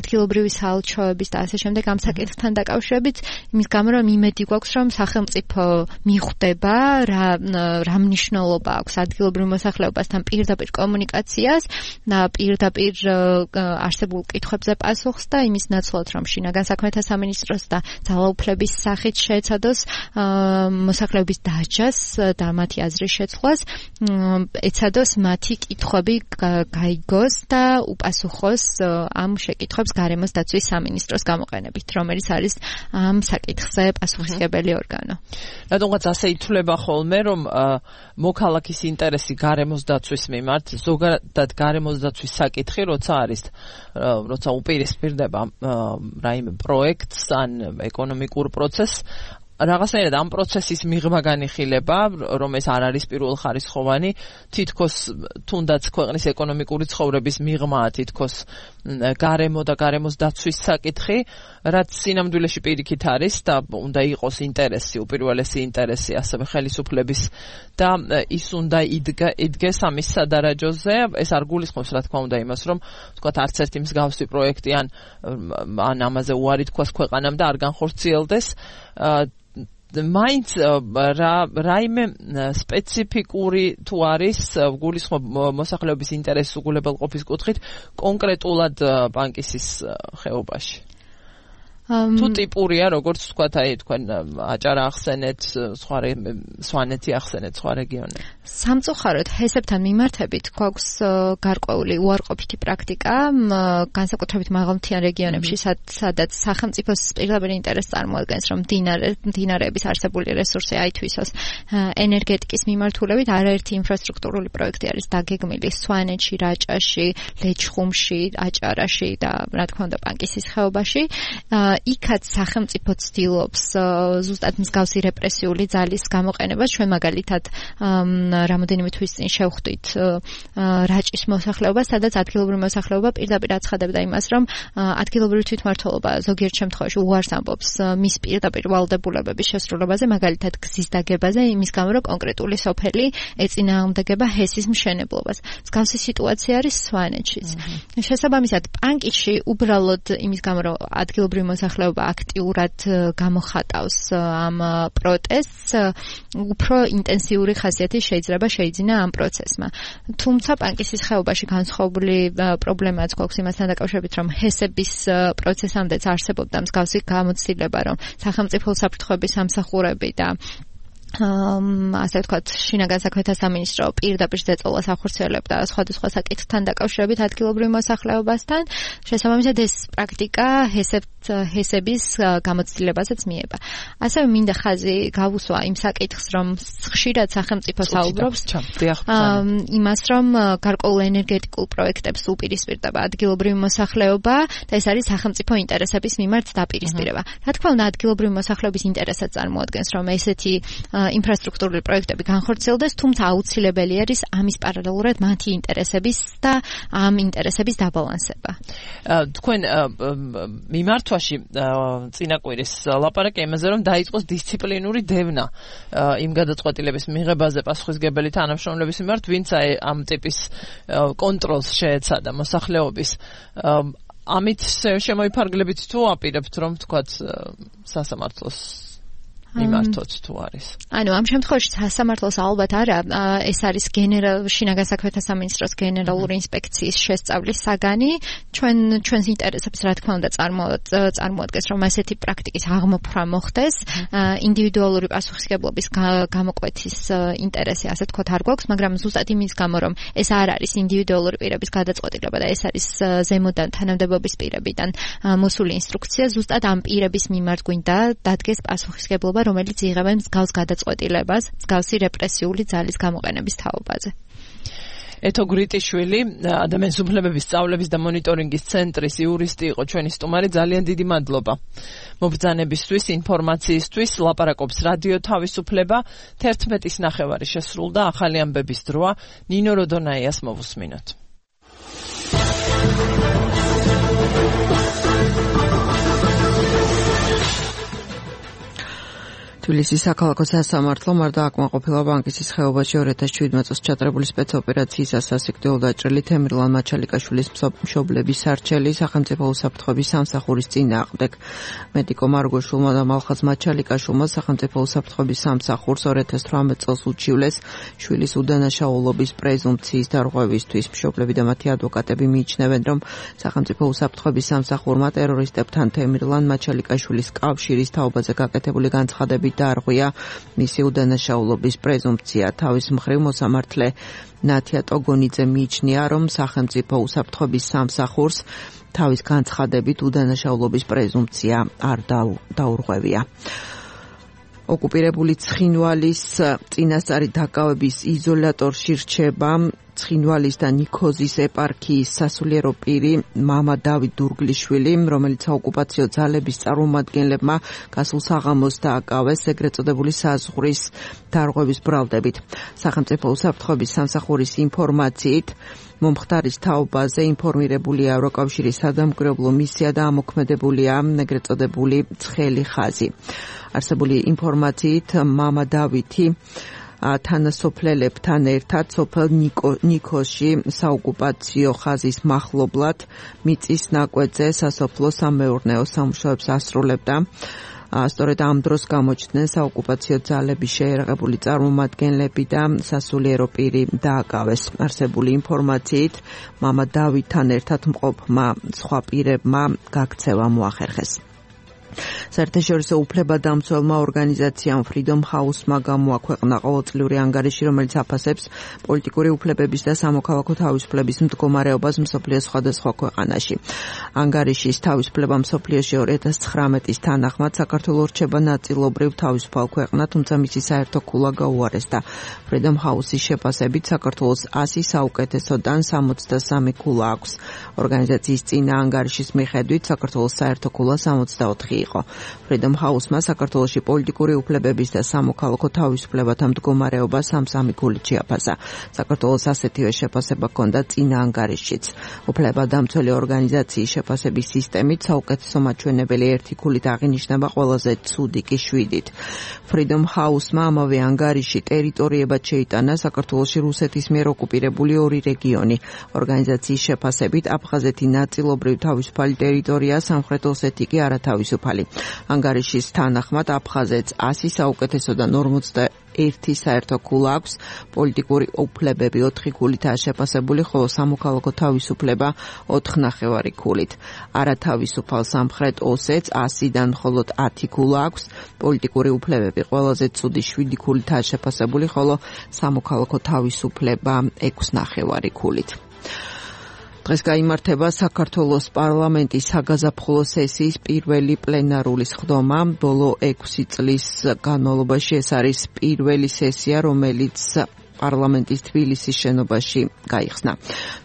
ადგილობრივი საელჩოების და ასე შემდეგ ამ საკითხთან დაკავშირებით, იმის გამო, რომ იმედი გვაქვს, რომ სახელმწიფო მიხვდება რა რა მნიშვნელობა აქვს ადგილობრივ მოსახლეობასთან პირდაპირ კომუნიკაციას და პირდაპირ არსებულ კითხვებზე პასუხს და იმის ნაცვლად, რომ შინაგან საქმეთა სამინისტროს და ძალაუფლების სახით შეეცადოს მოსახლეობის დაჯას და მათი აზრის შეცვლას, ეცადოს მათი კითხვები გაიგოს და უპასუხოს ამ შეკითხვებს გარემოს დაცვის სამინისტროს გამოყენებით, რომელიც არის ამ საკითხზე პასუხისმგებელი ორგანო. რადგანაც ასე ითვლება ხოლმე, რომ მოქალაქის ინტერესი გარემოს დაცვის მიმართ, ზოგადად გარემოს დაცვის საკითხი, როცა არის, როცა უპირისპირდება რაიმე პროექტს ან ეკონომიკურ პროცესს, რაღაცნაირად ამ პროცესის მიღმა განიხილება, რომ ეს არ არის პირველხარისხოვანი, თითქოს თუნდაც ქვეყნის ეკონომიკური ცხოვრების მიღმაა თითქოს გარემო და გარემოს დაცვის საკითხი, რაც სინამდვილეში პირიქით არის და უნდა იყოს ინტერესი, უპირველესი ინტერესი ასევე ხელისუფლების და ის უნდა იდგეს ამის სადარაჯოზე. ეს არ გულისხმობს, რა თქმა უნდა, იმას, რომ თქვათ არც ერთი მსგავსი პროექტი ან ან ამაზე უარი თქვას ქვეყანამ და არ განხორციელდეს. მაინც რაიმე სპეციფიკური თუ არის გულისხმობ მოსახლეობის ინტერესის უგულებელყოფის კუთხით კონკრეტულად პანკისის ხეობაში. თუ ტიპურია, როგორც თქვათ, აი თქვენ აჭარა ახსენეთ, სხვა სვანეთი ახსენეთ, სხვა რეგიონები. სამწუხაროდ ჰესებთან მიმართებით გვაქვს გარკვეული უარყოფითი პრაქტიკა, განსაკუთრებით მაღალმთიან რეგიონებში, სადაც სახელმწიფოს პირდაპირ ინტერესს წარმოადგენს, რომ მდინარეების არსებული რესურსი აითვისოს ენერგეტიკის მიმართულებით. არაერთი ინფრასტრუქტურული პროექტი არის დაგეგმილი სვანეთში, რაჭაში, ლეჩხუმში, აჭარაში და რა თქმა უნდა პანკისის ხეობაში. იქაც სახელმწიფო ცდილობს ზუსტად მსგავსი რეპრესიული ძალის გამოყენებას. ჩვენ მაგალითად რამოდენიმე თვის წინ შევხვდით რაჭის მოსახლეობას, სადაც ადგილობრივი მოსახლეობა პირდაპირ აცხადებდა იმას, რომ ადგილობრივი თვითმმართველობა ზოგიერთ შემთხვევაში უარს ამბობს მის პირდაპირ ვალდებულებების შესრულებაზე, მაგალითად გზის დაგებაზე, იმის გამო, რომ კონკრეტული სოფელი ეწინააღმდეგება ჰესის მშენებლობას. მსგავსი სიტუაცია არის სვანეთშიც. შესაბამისად, პანკისში უბრალოდ იმის გამო, რომ ადგილობრივი მოსახლეობა აქტიურად გამოხატავს ამ პროტესტს, უფრო ინტენსიური ხასიათი შეიძლება შეიძინა ამ პროცესმა. თუმცა პანკისის ხეობაში განსხვავებული პრობლემაც გვაქვს იმასთან დაკავშირებით, რომ ჰესების პროცესამდეც არსებობდა მსგავსი გამოცდილება, რომ სახელმწიფო საფრთხეების სამსახურები და ასე ვთქვათ, შინაგან საქმეთა სამინისტრო პირდაპირ ზეწოლას ახორციელებდა სხვადასხვა საკითხთან დაკავშირებით ადგილობრივ მოსახლეობასთან. შესაბამისად, ეს პრაქტიკა ჰესების გამოცდილებასაც მიება. ასევე მინდა ხაზი გავუსვა იმ საკითხს, რომ ხშირად სახელმწიფო საუბრობს იმას, რომ გარკვეულ ენერგეტიკულ პროექტებს უპირისპირდება ადგილობრივი მოსახლეობა და ეს არის სახელმწიფო ინტერესების მიმართ დაპირისპირება. რა თქმა უნდა, ადგილობრივი მოსახლეობის ინტერესად წარმოადგენს, რომ ესეთი ინფრასტრუქტურული პროექტები განხორციელდეს, თუმცა აუცილებელი არის ამის პარალელურად მათი ინტერესების და ამ ინტერესების დაბალანსება. თქვენ მიმართვაში წინა კვირის ლაპარაკი იმაზე, რომ დაიწყოს დისციპლინური დევნა იმ გადაწყვეტილების მიღებაზე პასუხისმგებელი თანამშრომლების მიმართ, ვინც ამ ტიპის კონტროლს შეეცადა მოსახლეობის. ამით შემოიფარგლებით თუ აპირებთ რომ თქვათ სასამართლოს მიმართოთ თუ არის. ანუ ამ შემთხვევაში სასამართლოს ალბათ არა, ეს არის გენერალ შინაგან საქმეთა სამინისტროს გენერალური ინსპექციის შესწავლის საგანი. ჩვენ ჩვენს ინტერესებს რა თქმა უნდა წარმოადგენს, რომ ასეთი პრაქტიკის აღმოფხვრა მოხდეს. ინდივიდუალური პასუხისმგებლობის გამოკვეთის ინტერესი, ასე თქვათ, არ გვაქვს, მაგრამ ზუსტად იმის გამო, რომ ეს არ არის ინდივიდუალური პირების გადაწყვეტილება და ეს არის ზემოდან თანამდებობის პირებიდან მოსული ინსტრუქცია, ზუსტად ამ პირების მიმართ გვინდა დადგეს პასუხისმგებლობა, რომელიც იღებენ მსგავს გადაწყვეტილებას, მსგავსი რეპრესიული ძალის გამოყენების თაობაზე. ეთო გრიტიშვილი, ადამიანის უფლებების სწავლების და მონიტორინგის ცენტრის იურისტი იყო ჩვენი სტუმარი, ძალიან დიდი მადლობა. მობრძანებისთვის, ინფორმაციისთვის, ლაპარაკობს რადიო თავისუფლება, თერთმეტის ნახევარი შესრულდა, ახალი ამბების დროა, ნინო როდონაიას მოვუსმინოთ. თბილისის საქალაქო სასამართლომ არ დააკმაყოფილა ბანკის ხეობაში ორი ათას შვიდმეტ წელს ჩატარებული სპეცოპერაციისას სასიკვდილო დაჭრილი თემრლან მაჩალიკაშვილის მშობლების სარჩელი სახელმწიფო უსაფრთხოების სამსახურის წინააღმდეგ. მედიკო მარგოშულმა და მალხაზ მაჩალიკაშვილმა სახელმწიფო უსაფრთხოების სამსახურს ორი ათას თვრამეტ წელს უჩივლეს შვილის უდანაშაულობის პრეზუმპციის დარღვევისთვის. მშობლები და მათი ადვოკატები მიიჩნევენ, რომ სახელმწიფო უსაფრთხოების სამსახურმა ტერორისტებთან თემრლან მაჩალიკაშვილის კავშირის თაობაზე გაკეთებული განცხადები დაარღვია მისი უდანაშაულობის პრეზუმპცია. თავის მხრივ მოსამართლე ნათია ტოგონიძე მიიჩნია, რომ სახელმწიფო უსაფრთხოების სამსახურს თავის განცხადებით უდანაშაულობის პრეზუმპცია არ დაურღვევია. ოკუპირებული ცხინვალის წინასწარი დაკავების იზოლატორში რჩება ცხინვალის და ნიქოზის ეპარქიის სასულიერო პირი მამა დავით დურგლიშვილი, რომელიც საოკუპაციო ძალების წარმომადგენლებმა გასულ საღამოს დააკავეს ეგრეთ წოდებული საზღვრის დარღვევის ბრალდებით. სახელმწიფო უსაფრთხოების სამსახურის ინფორმაციით მომხდარის თაობაზე ინფორმირებულია ევროკავშირის სადამკვირვებლო მისია და ამოქმედებულია ეგრეთ წოდებული ცხელი ხაზი. არსებული ინფორმაციით მამა დავითი თანასოფლელებთან ერთად სოფელ ნიქოზში საოკუპაციო ხაზის მახლობლად მიწის ნაკვეთზე სასოფლო სამეურნეო სამუშაოებს ასრულებდა. სწორედ ამ დროს გამოჩნდნენ საოკუპაციო ძალების შეერაღებული წარმომადგენლები და სასულიერო პირი დააკავეს. არსებული ინფორმაციით მამა დავითთან ერთად მყოფმა სხვა პირებმა გაქცევა მოახერხეს. საერთაშორისო უფლებადამცველმა ორგანიზაციამ Freedom House-მა გამოაქვეყნა ყოველწლიური ანგარიში, რომელიც აფასებს პოლიტიკური უფლებების და სამოქალაქო თავისუფლების მდგომარეობას მსოფლიოს სხვადასხვა ქვეყანაში. ანგარიშის თავისუფლება მსოფლიოში ორი ათას ცხრამეტის თანახმად საქართველო რჩება ნაწილობრივ თავისუფალ ქვეყნად, თუმცა მისი საერთო ქულა გაუარესდა. Freedom House-ის შეფასებით საქართველოს ასი საუკეთესოდან სამოცდასამი ქულა აქვს. ორგანიზაციის წინა ანგარიშის მიხედვით საქართველოს საერთო ქულა სამოცდაოთხი იყო. Freedom House-მა საქართველოში პოლიტიკური უფლებების და სამოქალაქო თავისუფლებათა მდგომარეობა სამსამი ქულით შეაფასა. საქართველოს ასეთივე შეფასება ჰქონდა წინა ანგარიშშიც. უფლებადამცველი ორგანიზაციის შეფასების სისტემით საუკეთესო მაჩვენებელი ერთი ქულით აღინიშნება ყველაზე ცუდი კი შვიდით. Freedom House-მა ამავე ანგარიში ტერიტორიებად შეიტანა საქართველოში რუსეთის მიერ ოკუპირებული ორი რეგიონი. ორგანიზაციის შეფასებით აფხაზეთი ნაწილობრივ თავისუფალი ტერიტორია, სამხრეთ ოსეთი კი არათავისუფალი. ანგარიშის თანახმად აფხაზეთს ასი საუკეთესოდან ორმოცდაერთი საერთო ქულა აქვს, პოლიტიკური უფლებები ოთხი ქულითაა შეფასებული, ხოლო სამოქალაქო თავისუფლება ოთხ ნახევარი ქულით. არათავისუფალ სამხრეთ ოსეთს ასიდან მხოლოდ ათი ქულა აქვს, პოლიტიკური უფლებები ყველაზე ცუდი შვიდი ქულითაა შეფასებული, ხოლო სამოქალაქო თავისუფლება ექვს ნახევარი ქულით. დღეს გაიმართება საქართველოს პარლამენტის საგაზაფხულო სესიის პირველი პლენარული სხდომა. ბოლო ექვსი წლის განმავლობაში ეს არის პირველი სესია, რომელიც პარლამენტის თბილისის შენობაში გაიხსნა.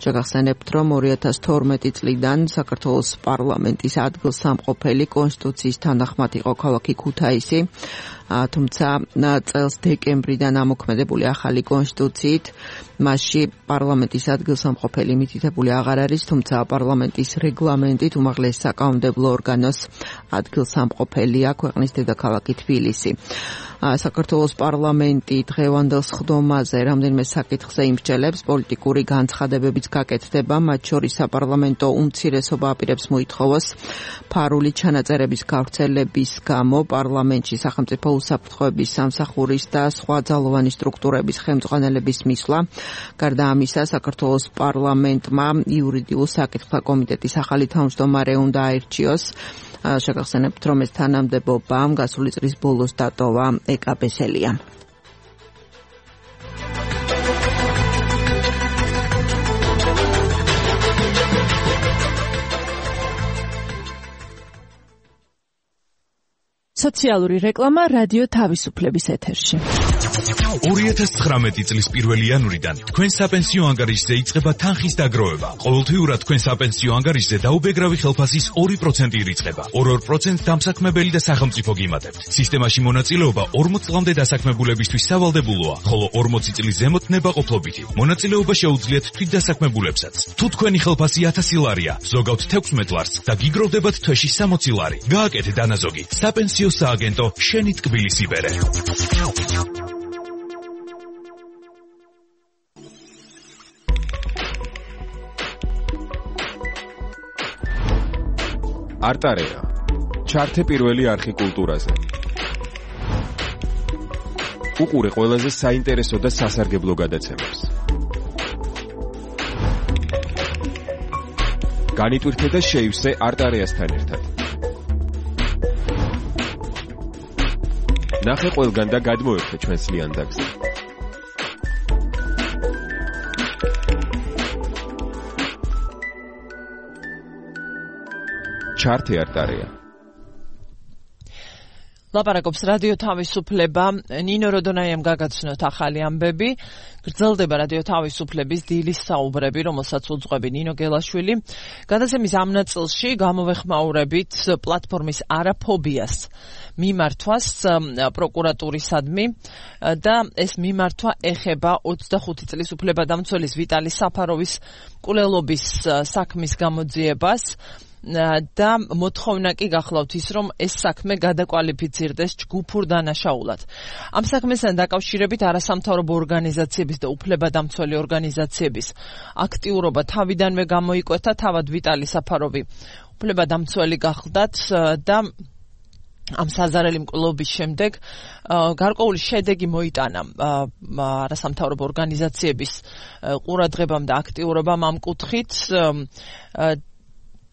შეგახსენებთ, რომ ორი ათას თორმეტი წლიდან საქართველოს პარლამენტის ადგილსამყოფელი კონსტიტუციის თანახმად იყო ქალაქი ქუთაისი. თუმცა წელს დეკემბრიდან ამოქმედებული ახალი კონსტიტუციით მასში პარლამენტის ადგილსამყოფელი მითითებული აღარ არის, თუმცა პარლამენტის რეგლამენტით უმაღლეს საკანონმდებლო ორგანოს ადგილსამყოფელია ქვეყნის დედაქალაქი თბილისი. საქართველოს პარლამენტი დღევანდელ სხდომაზე რამდენიმე საკითხზე იმსჯელებს, პოლიტიკური განცხადებებიც გაკეთდება, მათ შორის საპარლამენტო უმცირესობა აპირებს მოითხოვოს ფარული ჩანაწერების გავრცელების გამო პარლამენტში სახელმწიფო უსაფრთხოების სამსახურის და სხვა ძალოვანი სტრუქტურების ხელმძღვანელების მისვლა. გარდა ამისა, საქართველოს პარლამენტმა იურიდიულ საკითხთა კომიტეტის ახალი თავმჯდომარე უნდა აირჩიოს. შეგახსენებთ, რომ ეს თანამდებობამ გასული წლის ბოლოს დატოვა ეკა ბესელიამ. სოციალური რეკლამა რადიო თავისუფლების ეთერში. ორი ათას ცხრამეტი წლის პირველი იანვრიდან თქვენ საპენსიო ანგარიშზე იწყება თანხის დაგროვება. ყოველთვიურად თქვენ საპენსიო ანგარიშზე დაუბეგრავი ხელფასის ორი პროცენტი ირიცხება. ორ-ორ პროცენტს დამსაქმებელი და სახელმწიფო გიმატებთ. სისტემაში მონაწილეობა ორმოც წლამდე დასაქმებულებისთვის სავალდებულოა, ხოლო ორმოცი წლის ზემოთ ნებაყოფლობითი. მონაწილეობა შეუძლიათ თვითდასაქმებულებსაც. თუ თქვენი ხელფასი ათასი ლარია, ზოგავთ თექვსმეტ ლარს და გიგროვდებათ თვეში სამოცი ლარი. გააკეთე დანაზოგი. საპენსიო სააგენტო შენი ტკბილის იბერე. არტარეა. ჩართე პირველი არხი კულტურაზე. უყურე ყველაზე საინტერესო და სასარგებლო გადაცემებს. განიტვირთე და შეივსე არტარეასთან ერთად. ნახე ყველგან და გადმოერთე ჩვენს ლიანდაგზე. ჩართე არტარეა. ლაპარაკობს რადიო თავისუფლება. ნინო როდონაიამ გაგაცნოთ ახალი ამბები. გრძელდება რადიო თავისუფლების დილის საუბრები, რომელსაც უძღვები ნინო გელაშვილი. გადაცემის ამ ნაწილში გამოვეხმაურებით პლატფორმის არაფობიას მიმართვას პროკურატურისადმი და ეს მიმართვა ეხება ოცდახუთი წლის უფლებადამცველის ვიტალი საფაროვის მკვლელობის საქმის გამოძიებას. და მოთხოვნა კი გახლავთ ის, რომ ეს საქმე გადაკვალიფიცირდეს ჯგუფურ დანაშაულად. ამ საქმესთან დაკავშირებით არასამთავრობო ორგანიზაციების და უფლებადამცველი ორგანიზაციების აქტიურობა თავიდანვე გამოიკვეთა, თავად ვიტალი საფაროვი უფლებადამცველი გახლდათ და ამ საზარელი მკვლელობის შემდეგ გარკვეული შედეგი მოიტანა არასამთავრობო ორგანიზაციების ყურადღებამ და აქტიურობამ ამ კუთხით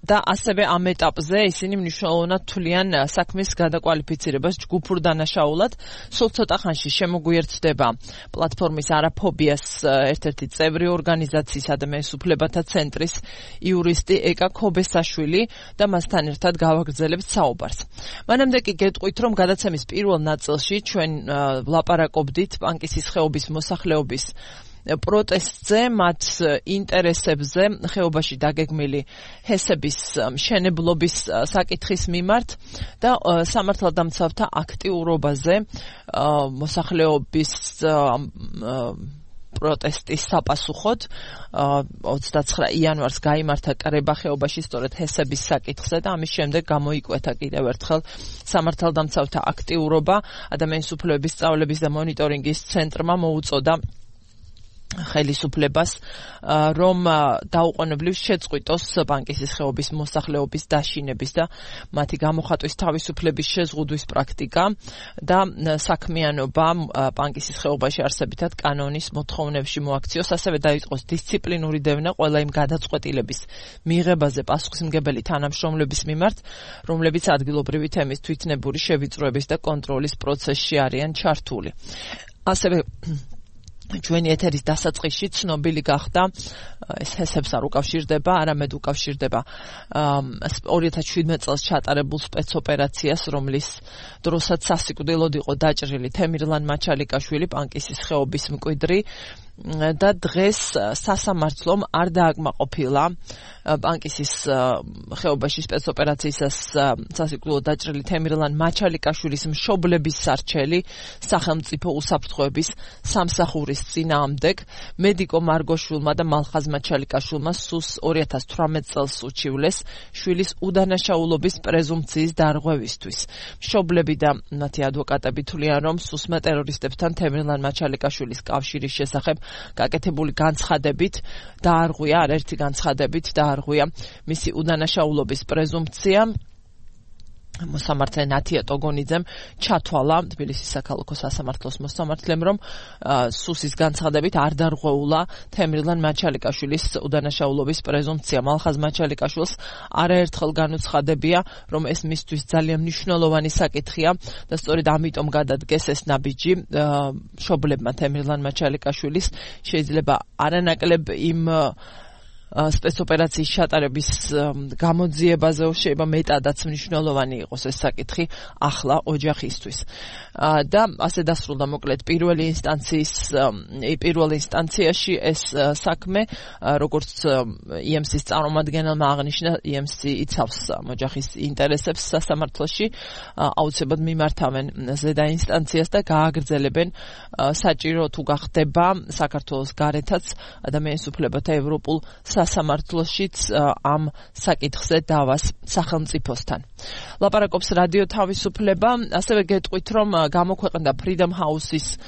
და ასევე ამ ეტაპზე ისინი მნიშვნელოვნად თვლიან საქმის გადაკვალიფიცირებას ჯგუფურ დანაშაულად. სულ ცოტა ხანში შემოგვიერთდება პლატფორმის არაფობიას ერთ-ერთი წევრი ორგანიზაციის ადამიანის უფლებათა ცენტრის იურისტი ეკა ქობესაშვილი და მასთან ერთად გავაგრძელებთ საუბარს. მანამდე კი გეტყვით, რომ გადაცემის პირველ ნაწილში ჩვენ ვლაპარაკობდით პანკისის ხეობის მოსახლეობის პროტესტზე, მათ ინტერესებზე, ხეობაში დაგეგმილი ჰესების მშენებლობის საკითხის მიმართ და სამართალდამცავთა აქტიურობაზე მოსახლეობის პროტესტის საპასუხოდ ოცდაცხრა იანვარს გაიმართა კრება ხეობაში სწორედ ჰესების საკითხზე და ამის შემდეგ გამოიკვეთა კიდევ ერთხელ სამართალდამცავთა აქტიურობა. ადამიანის უფლებების სწავლების და მონიტორინგის ცენტრმა მოუწოდა ხელისუფლებას, რომ დაუყოვნებლივ შეწყვიტოს პანკისის ხეობის მოსახლეობის დაშინების და მათი გამოხატვის თავისუფლების შეზღუდვის პრაქტიკა და საქმიანობა პანკისის ხეობაში არსებითად კანონის მოთხოვნებში მოაქციოს, ასევე დაიწყოს დისციპლინური დევნა ყველა იმ გადაწყვეტილების მიღებაზე პასუხისმგებელი თანამშრომლების მიმართ, რომლებიც ადგილობრივი თემის თვითნებური შევიწროების და კონტროლის პროცესში არიან ჩართული. ასევე ჩვენი ეთერის დასაწყისში ცნობილი გახდა, ეს ჰესებს არ უკავშირდება, არამედ უკავშირდება ორი ათას შვიდმეტ წელს ჩატარებულ სპეცოპერაციას, რომლის დროსაც სასიკვდილოდ იყო დაჭრილი თემირლან მაჩალიკაშვილი, პანკისის ხეობის მკვიდრი და დღეს სასამართლომ არ დააკმაყოფილა ბანკისის ხეობაში სპეცოპერაციისას სასიკვდილო დაჭრილი თემირლან მაჩალიკაშვილის მშობლების სარჩელი სახელმწიფო უსაფრთხოების სამსახურის წინააღმდეგ. მედიკო მარგოშვილმა და მალხაზ მაჩალიკაშვილმა სუს ორი ათას თვრამეტ წელს უჩივლეს შვილის უდანაშაულობის პრეზუმპციის დარღვევისთვის. მშობლები და მათი ადვოკატები თვლიან, რომ სუსმა ტერორისტებთან თემირლან მაჩალიკაშვილის კავშირის შესახებ გაკეთებული განცხადებით დაარღვია, არაერთი განცხადებით დაარღვია მისი უდანაშაულობის პრეზუმპცია. მოსამართლე ნათია ტოგონიძემ ჩათვალა თბილისის საქალაქო სასამართლოს მოსამართლემ, რომ სუსის განცხადებით არ დარღვეულა თემირლან მაჩალიკაშვილის უდანაშაულობის პრეზუმპცია. მალხაზ მაჩალიკაშვილს არაერთხელ განუცხადებია, რომ ეს მისთვის ძალიან მნიშვნელოვანი საკითხია და სწორედ ამიტომ გადადგეს ეს ნაბიჯი მშობლებმა თემირლან მაჩალიკაშვილის. შეიძლება არანაკლებ იმ სპეცოპერაციის ჩატარების გამოძიებაზე, შეიძლება მეტადაც მნიშვნელოვანი იყოს ეს საკითხი ახლა ოჯახისთვის. და ასე დასრულდა მოკლედ პირველი ინსტანციის პირველ ინსტანციაში ეს საქმე, როგორც ი ემ სის წარმომადგენელმა აღნიშნა, ი ემ სი იცავს ოჯახის ინტერესებს სასამართლოში, აუცილებლად მიმართავენ ზედა ინსტანციას და გააგრძელებენ საჭირო თუ გახდება საქართველოს გარეთაც ადამიანის უფლებათა ევროპულ სასამართლოშიც ამ საკითხზე დავას სახელმწიფოსთან. ლაპარაკობს რადიო თავისუფლება, ასევე გეტყვით, რომ გამოქვეყნდა Freedom House-ის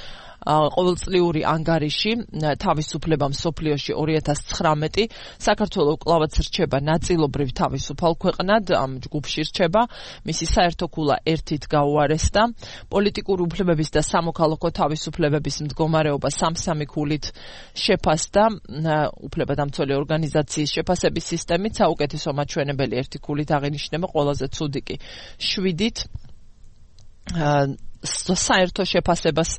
ყოველწლიური ანგარიში თავისუფლება მსოფლიოში ორი ათას ცხრამეტი. საქართველო კვლავაც რჩება ნაწილობრივ თავისუფალ ქვეყნად, ამ ჯგუფში რჩება. მისი საერთო ქულა ერთით გაუარესდა. პოლიტიკური უფლებების და სამოქალაქო თავისუფლებების მდგომარეობა სამ-სამი ქულით შეფასდა. უფლებადამცველი ორგანიზაციის შეფასების სისტემით საუკეთესო მაჩვენებელი ერთი ქულით აღინიშნება, ყველაზე ცუდი კი შვიდით. საერთო შეფასებას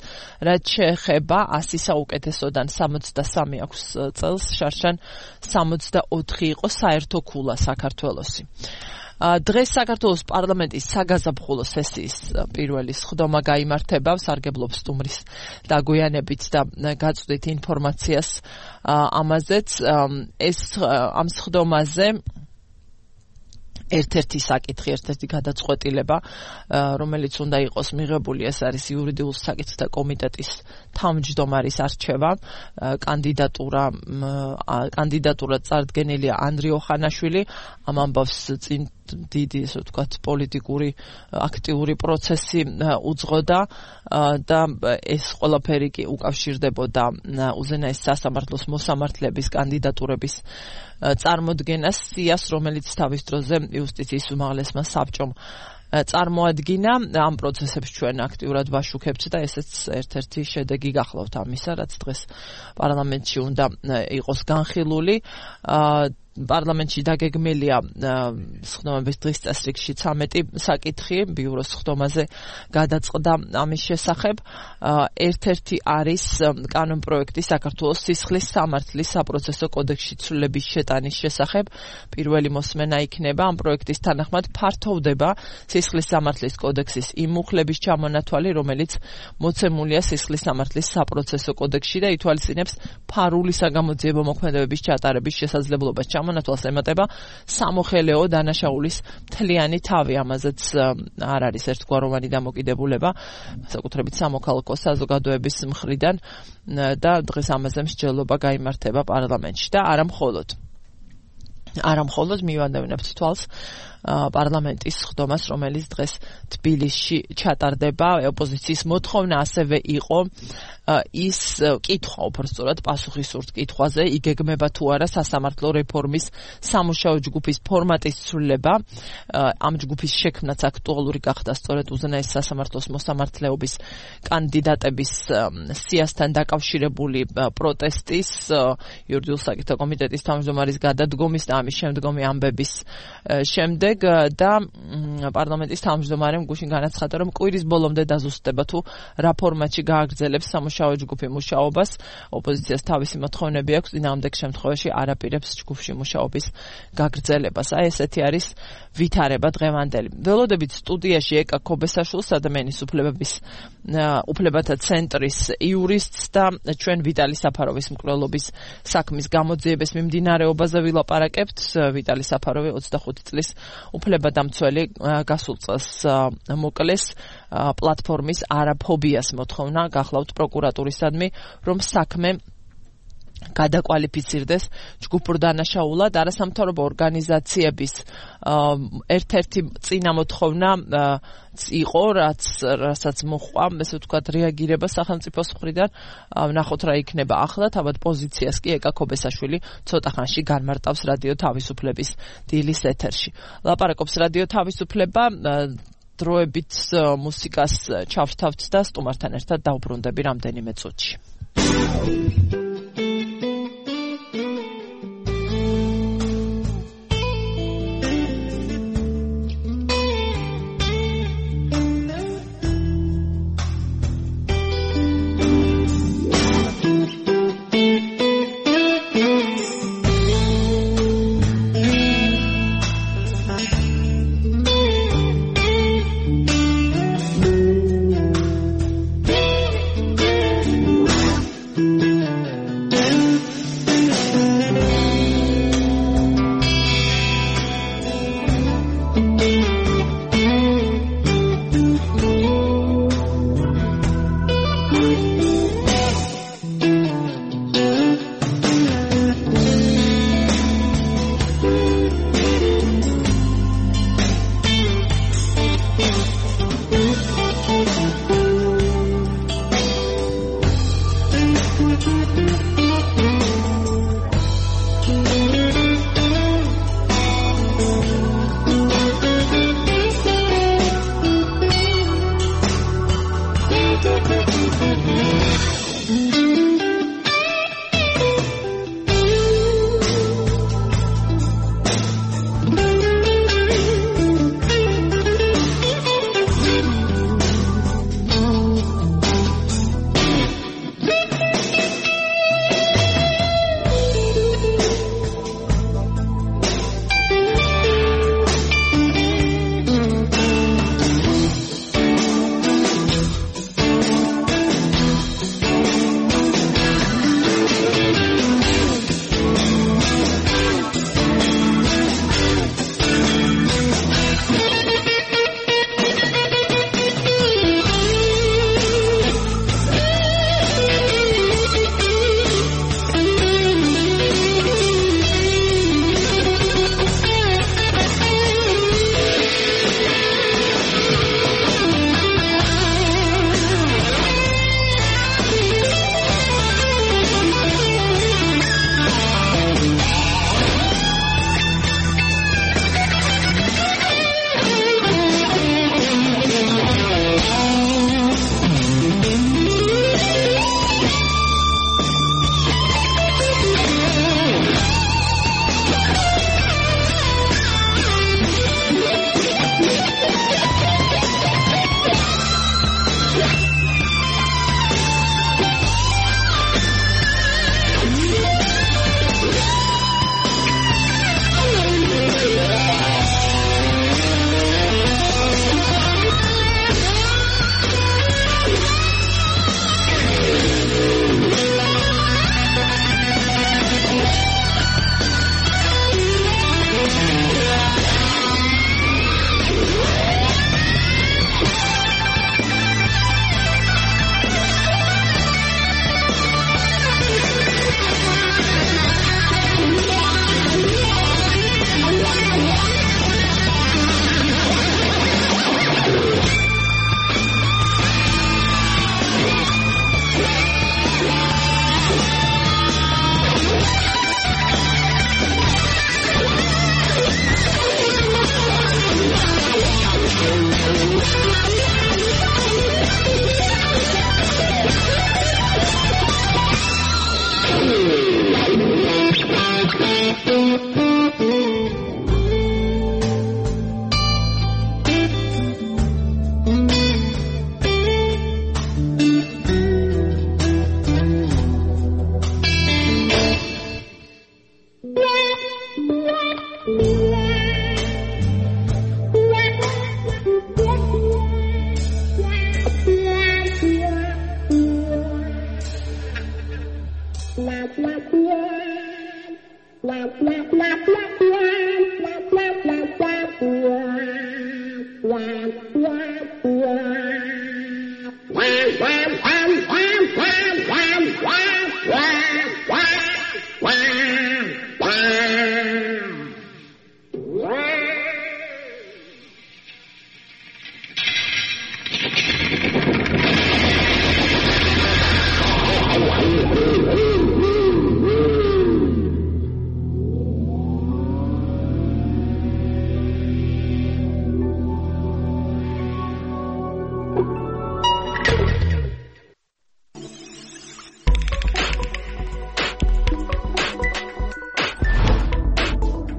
რაც შეეხება ასი საუკეთესოდან სამოცდასამი აქვს წელს, შარშან სამოცდაოთხი იყო საერთო ქულა საქართველოსი. დღეს საქართველოს პარლამენტის საგაზაფხულო სესიის პირველი სხდომა გაიმართება, სარგებლობს სტუმრის დაგვიანებით და გაწვდით ინფორმაციას ამაზეც. ეს ამ სხდომაზე ერთ-ერთი საკითხი, ერთ-ერთი გადაწყვეტილება, რომელიც უნდა იყოს მიღებული, ეს არის იურიდიულ საკითხთა კომიტეტის თავმჯდომარის არჩევა. კანდიდატურა კანდიდატურა წარდგენილია ანდრიე ოხანაშვილი. ამ ამბავს წინ დიდი, ასე ვთქვათ, პოლიტიკური აქტიური პროცესი უძღოდა და ეს ყველაფერი კი უკავშირდებოდა უზენაეს სასამართლოს მოსამართლეების კანდიდატურების წარმოდგენას, სიას, რომელიც თავის დროზე იუსტიციის უმაღლესმა საბჭომ წარმოადგინა. ამ პროცესებს ჩვენ აქტიურად ვაშუქებთ და ესეც ერთ-ერთი შედეგი გახლავთ ამისა, რაც დღეს პარლამენტში უნდა იყოს განხილული. პარლამენტში დაგეგმილია სხდომების დღის წესრიგში ცამეტი საკითხი ბიუროს სხდომაზე გადაწყდა ამის შესახებ. ერთ-ერთი არის კანონპროექტი საქართველოს სისხლის სამართლის საპროცესო კოდექსში ცვლილების შეტანის შესახებ. პირველი მოსმენა იქნება ამ პროექტის თანახმად ფართოვდება სისხლის სამართლის კოდექსის იმ მუხლების ჩამონათვალი, რომელიც მოცემულია სისხლის სამართლის საპროცესო კოდექსში და ითვალისწინებს ფარული საგამოძიებო მოქმედებების ჩატარების შესაძლებლობას. მონათვალს ემატება სამოხელეო დანაშაულის მთლიანი თავი, ამაზეც არ არის ერთგვაროვანი დამოკიდებულება, საკუთრებით სამოქალაქო საზოგადოების მხრიდან და დღეს ამაზე მსჯელობა გაიმართება პარლამენტში და არა მხოლოდ. არა მხოლოდ მივანდევნებთ თვალს პარლამენტის სხდომას, რომელიც დღეს თბილისში ჩატარდება. ოპოზიციის მოთხოვნა ასევე იყო ის კითხვა, უბრალოდ პასუხისურთ კითხვაზე, იგეგმება თუ არა სასამართლო რეფორმის სამუშაო ჯგუფის ფორმატის ცვლილება. ამ ჯგუფის შექმნაც აქტუალური გახდა სწორედ უზენაეს სასამართლოს მოსამართლეობის კანდიდატების სიასთან დაკავშირებული პროტესტის, იურიდიულ საკითხთა კომიტეტის თავმჯდომარის გადადგომის და ამის შემდგომი ამბების შემდეგ და პარლამენტის თავმჯდომარემ გუშინ განაცხადა, რომ კვირის ბოლომდე დაზუსტდება თუ რა ფორმატში გააგრძელებს სამუშაო სამუშაო ჯგუფი მუშაობას, ოპოზიციას თავისი მოთხოვნები აქვს, წინააღმდეგ შემთხვევაში არაპირებს ჯგუფში მუშაობის გაგრძელებას. აი ესეთი არის ვითარება დღევანდელი. ველოდებით სტუდიაში ეკა ქობესაშვილს, ადამიანის უფლებების უფლებათა ცენტრის იურისტს და ჩვენ ვიტალი საფაროვის მკვლელობის საქმის გამოძიების მიმდინარეობაზე ვილაპარაკებთ. ვიტალი საფაროვი ოცდახუთი წლის უფლებადამცველი გასულ წელს მოკლეს. პლატფორმის არაფობიას მოთხოვნა გახლავთ პროკურატურისადმი, რომ საქმე გადაკვალიფიცირდეს ჯგუფურ დანაშაულად. არასამთავრობო ორგანიზაციების ერთ-ერთი წინა მოთხოვნა იყო, რაც რასაც მოჰყვა, ესე ვთქვათ, რეაგირება სახელმწიფოს მხრიდან. ვნახოთ რა იქნება ახლა, თავად პოზიციას კი ეკა ქობესაშვილი ცოტა ხანში განმარტავს რადიო თავისუფლების დილის ეთერში. ლაპარაკობს რადიო თავისუფლება, დროებით მუსიკას ჩავრთავთ და სტუმართან ერთად დავბრუნდები რამდენიმე წუთში.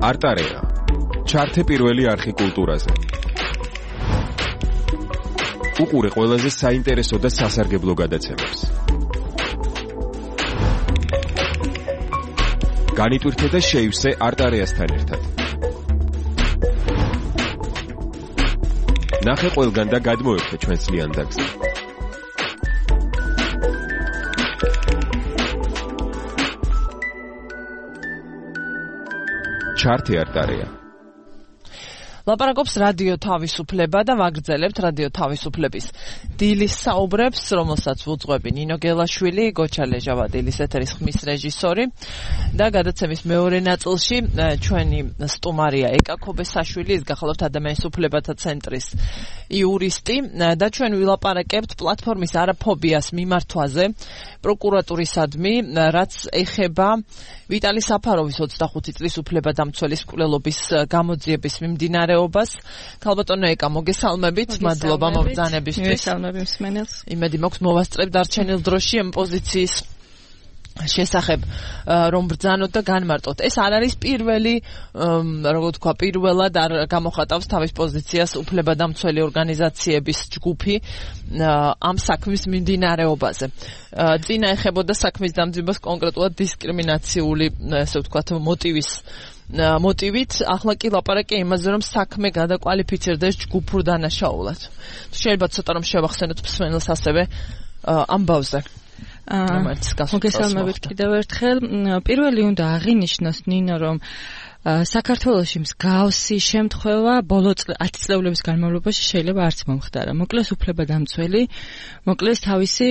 არტარეა. ჩართე პირველი არხი კულტურაზე. უყურე ყველაზე საინტერესო და სასარგებლო გადაცემებს. განიტვირთე და შეივსე არტარეასთან ერთად. ნახე ყველგან და გადმოერთე ჩვენს ლიანდაგზე. ჩართე არტარეა. ლაპარაკობს რადიო თავისუფლება და ვაგრძელებთ რადიო თავისუფლების დილის საუბრებს, რომელსაც ვუძღვები ნინო გელაშვილი, გოჩა ლეჟავადილის ეთერის ხმის რეჟისორი და გადაცემის მეორე ნაწილში ჩვენი სტუმარია ეკა ქობესაშვილი, ის გახლავთ ადამიანის უფლებათა ცენტრის იურისტი და ჩვენ ვილაპარაკებთ პლატფორმის არაფობიას მიმართვაზე პროკურატურისადმი, რაც ეხება ვიტალი საფაროვის ოცდახუთი წლის უფლებადამცველის მკვლელობის გამოძიების მიმდინარეობას. ქალბატონო ეკა, მოგესალმებით, მადლობა მობრძანებისთვის. მოგესალმები მსმენელს. იმედი მაქვს მოვასწრებ დარჩენილ დროში ამ პოზიციის შესახებ რომ ბრძანოთ და განმარტოთ. ეს არ არის პირველი, როგორ ვთქვა, პირველად არ გამოხატავს თავის პოზიციას უფლებადამცველი ორგანიზაციების ჯგუფი ამ საქმის მიმდინარეობაზე. წინა ეხებოდა საქმის დამძიმებას კონკრეტულად დისკრიმინაციული, ესე ვთქვათ, მოტივის მოტივით, ახლა კი ლაპარაკი იმაზე, რომ საქმე გადაკვალიფიცირდეს ჯგუფურ დანაშაულად. შეიძლება ცოტა რომ შევახსენოთ მსმენელს ასევე ამბავზე. მოგესალმებით კიდევ ერთხელ. პირველი უნდა აღინიშნოს ნინო, რომ საქართველოში მსგავსი შემთხვევა ბოლო ათი წლების განმავლობაში შეიძლება არც მომხდარა. მოკლეს უფლებადამცველი, მოკლეს თავისი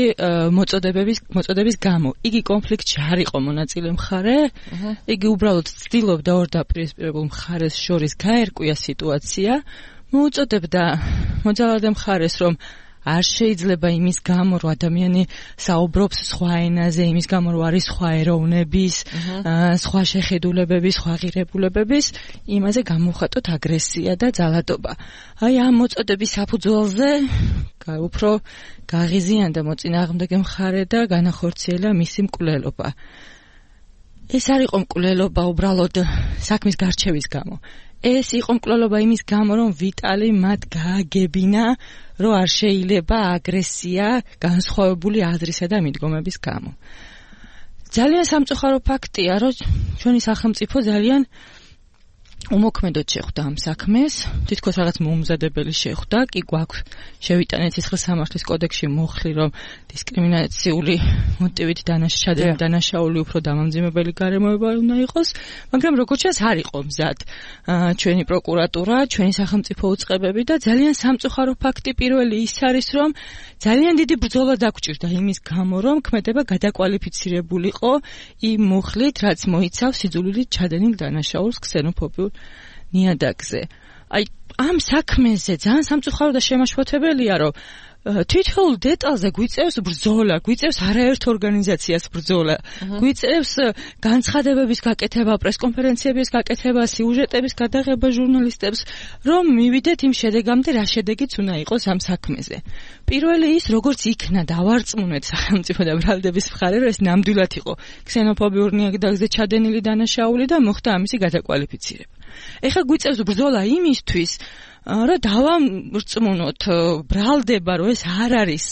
მოწოდებების მოწოდების გამო. იგი კონფლიქტში არ იყო მონაწილე მხარე, იგი უბრალოდ ცდილობდა ორ დაპირისპირებულ მხარეს შორის გაერკვია სიტუაცია, მოუწოდებდა მოძალადე მხარეს, რომ არ შეიძლება იმის გამო, რომ ადამიანი საუბრობს სხვა ენაზე, იმის გამო, რომ არის სხვა ეროვნების, სხვა შეხედულებების, სხვა ღირებულებების, იმაზე გამოხატოთ აგრესია და ძალადობა. აი ამ მოწოდების საფუძველზე უფრო გაღიზიანდა მოწინააღმდეგე მხარე და განახორციელა მისი მკვლელობა. ეს არ იყო მკვლელობა უბრალოდ საქმის გარჩევის გამო. ეს იყო მკვლელობა იმის გამო, რომ ვიტალი მათ გააგებინა, რომ არ შეიძლება აგრესია განსხვავებული აზრისა და მიდგომების გამო. ძალიან სამწუხარო ფაქტია, რომ ჩვენი სახელმწიფო ძალიან უმოქმედოდ შეხვდა ამ საქმეს, თითქოს რაღაც მოუმზადებელი შეხვდა, კი გვაქვს შევიტანეთ სისხლის სამართლის კოდექსში მოხლი, რომ დისკრიმინაციული მოტივით დანაშაული დანაშაული უფრო დამამძიმებელი გარემოება უნდა იყოს, მაგრამ როგორც ჩანს არ იყო მზად ჩვენი პროკურატურა, ჩვენი სახელმწიფო უწყებები და ძალიან სამწუხარო ფაქტი პირველი ის არის, რომ ძალიან დიდი ბრძოლა დაგჭირდა იმის გამო, რომ ქმედება გადაკვალიფიცირებულიყო იმ მუხლით, რაც მოიცავს სიძულვილით ჩადენილ დანაშაულს ქსენოფობიურ ნიადაგზე. აი ამ საქმეზე ძალიან სამწუხარო და შემაშფოთებელია, რომ თითოეულ დეტალზე გვიწევს ბრძოლა, გვიწევს არაერთ ორგანიზაციას ბრძოლა, გვიწევს განცხადებების გაკეთება, პრესკონფერენციების გაკეთება, სიუჟეტების გადაღება ჟურნალისტებს, რომ მივიდეთ იმ შედეგამდე, რა შედეგიც უნდა იყოს ამ საქმეზე. პირველი ის, როგორც იქნა დავარწმუნეთ სახელმწიფო და ბრალდების მხარე, რომ ეს ნამდვილად იყო ქსენოფობიურ ნიადაგზე ჩადენილი დანაშაული და მოხდა ამისი გადაკვალიფიცირება. ეხლა გვიწევს ბრძოლა იმისთვის, რომ დავამრწმუნოთ ბრალდება, რომ ეს არ არის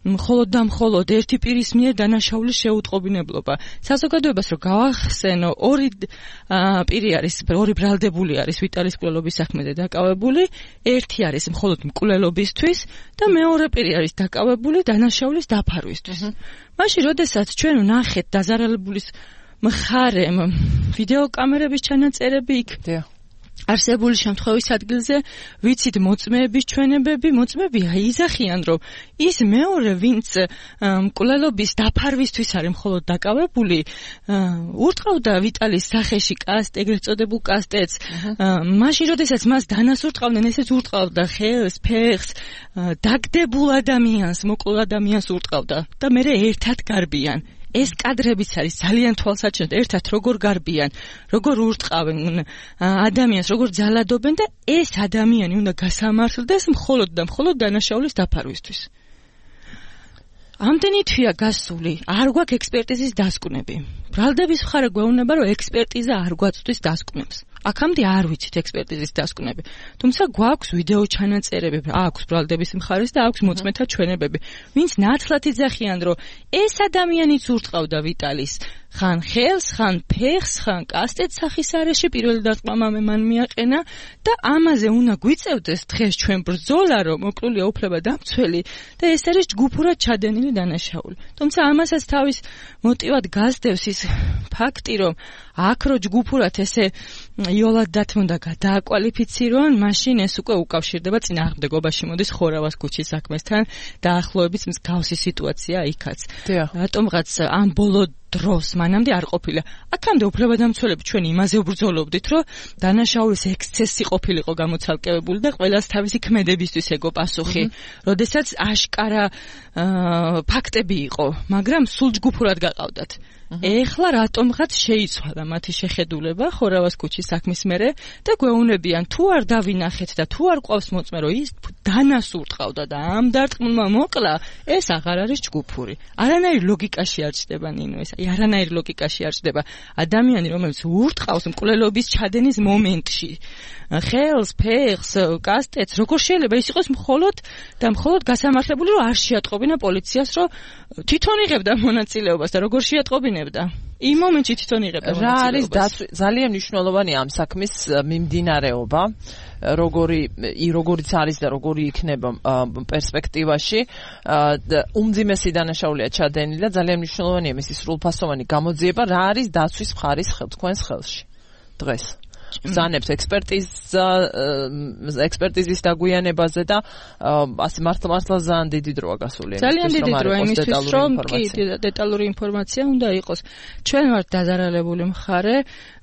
მხოლოდ და მხოლოდ ერთი პირის მიერ დანაშაულის შეუტყობინებლობა. საზოგადოებას რომ გავახსენო, ორი პირი არის, ორი ბრალდებული არის ვიტალის მკვლელობის საქმეზე დაკავებული, ერთი არის მხოლოდ მკვლელობისთვის და მეორე პირი არის დაკავებული დანაშაულის დაფარვისთვის. მაშინ, როდესაც ჩვენ ვნახეთ დაზარალებულის მხარემ ვიდეოკამერების ჩანაწერები იქ არსებული შემთხვევის ადგილზე, ვიცით მოწმეების ჩვენებები, მოწმეები აიზახიან, რომ ის მეორე, ვინც მკვლელობის დაფარვისთვის არის მხოლოდ დაკავებული, ურტყავდა ვიტალის სახეში კასტ, ეგრეთ წოდებულ კასტეთს, მაშინ, როდესაც მას დანასურტყავდნენ, ესეც ურტყავდა ხელს, ფეხს, დაგდებულ ადამიანს, მოკლულ ადამიანს ურტყავდა და მერე ერთად გარბიან. ეს კადრებიც არის ძალიან თვალსაჩინო, ერთად როგორ გარბიან, როგორ ურტყავენ ადამიანს, როგორ ძალადობენ და ეს ადამიანი უნდა გასამართლდეს მხოლოდ და მხოლოდ დანაშაულის დაფარვისთვის. ამდენი თვია გასული, არ გვაქვს ექსპერტიზის დასკვნები. ბრალდების მხარე გვეუბნება, რომ ექსპერტიზა არ გვაწვდის დასკვნებს. აქამდე არ ვიცით ექსპერტიზის დასკვნები. თუმცა გვაქვს ვიდეო ჩანაწერები, აქვს ბრალდების მხარეს და აქვს მოწმეთა ჩვენებები. ვინც ნათლად იძახიან, რომ ეს ადამიანიც ურტყავდა ვიტალის ხან ხელს, ხან ფეხს, ხან კასტეტს სახის არეში პირველი დარტყმა მან მიაყენა და ამაზე უნდა გვიწევდეს დღეს ჩვენ ბრძოლა, რომ მოკლულია უფლება დამცველი და ეს არის ჯგუფურად ჩადენილი დანაშაული. თუმცა ამასაც თავის მოტივად გასდევს ის ფაქტი, რომ აქ რო ჯგუფურად ესე იოლად დათმოდა გადააკვალიფიცირონ, მაშინ ეს უკვე უკავშირდება წინააღმდეგობაში მოდის ხორავას ქუჩის საქმესთან დაახლოებით მსგავსი სიტუაცია იქაც. რატომღაც ამ ბოლო დროს მანამდე არ ყოფილა. აქამდე უფლებადამცველები ჩვენ იმაზე ვბრძოლობდით, რომ დანაშაულის ექსცესი ყოფილიყო გამოცალკევებული და ყველას თავისი ქმედებისთვის ეგო პასუხი. როდესაც აშკარა ფაქტები იყო, მაგრამ სულ ჯგუფურად გაყავდათ. ეხლა რატომღაც შეიცვალა მათი შეხედულება ხორავას ქუჩის საქმის მერე და გვეუბნებიან თუ არ დავინახეთ და თუ არ ყავს მოწმე რომ ის დანას ურტყავდა და ამ დარტყმულმა მოკლა, ეს აღარ არის ჯგუფური. არანაირ ლოგიკაში არ ჩდება ნინო ეს. აი არანაირ ლოგიკაში არ ჩდება. ადამიანი რომელიც ურტყავს მკვლელობის ჩადენის მომენტში ხელს, ფეხს, კასტეტს, როგორ შეიძლება ის იყოს მხოლოდ და მხოლოდ გასამართლებული, რომ არ შეატყობინა პოლიციას, რომ თვითონ იღებდა მონაწილეობას და როგორ შეატყობინებდა? იმ მომენტში თვითონ იღებდა მონაწილეობას. რა არის ძალიან მნიშვნელოვანი ამ საქმის მიმდინარეობა, როგორი როგორიც არის და როგორი იქნება პერსპექტივაში, უმძიმესი დანაშაულია ჩადენილი და ძალიან მნიშვნელოვანია მისი სრულფასოვანი გამოძიება, რა არის დაცვის მხარის თქვენს ხელში დღეს. ზანებს ექსპერტიზა ექსპერტიზის დაგვიანებაზე და ასე მართლა მართლა ძალიან დიდი დროა გასული. ძალიან დიდი დროა იმისთვის, რომ კი დეტალური ინფორმაცია უნდა იყოს. ჩვენ ვართ დაზარალებული მხარე,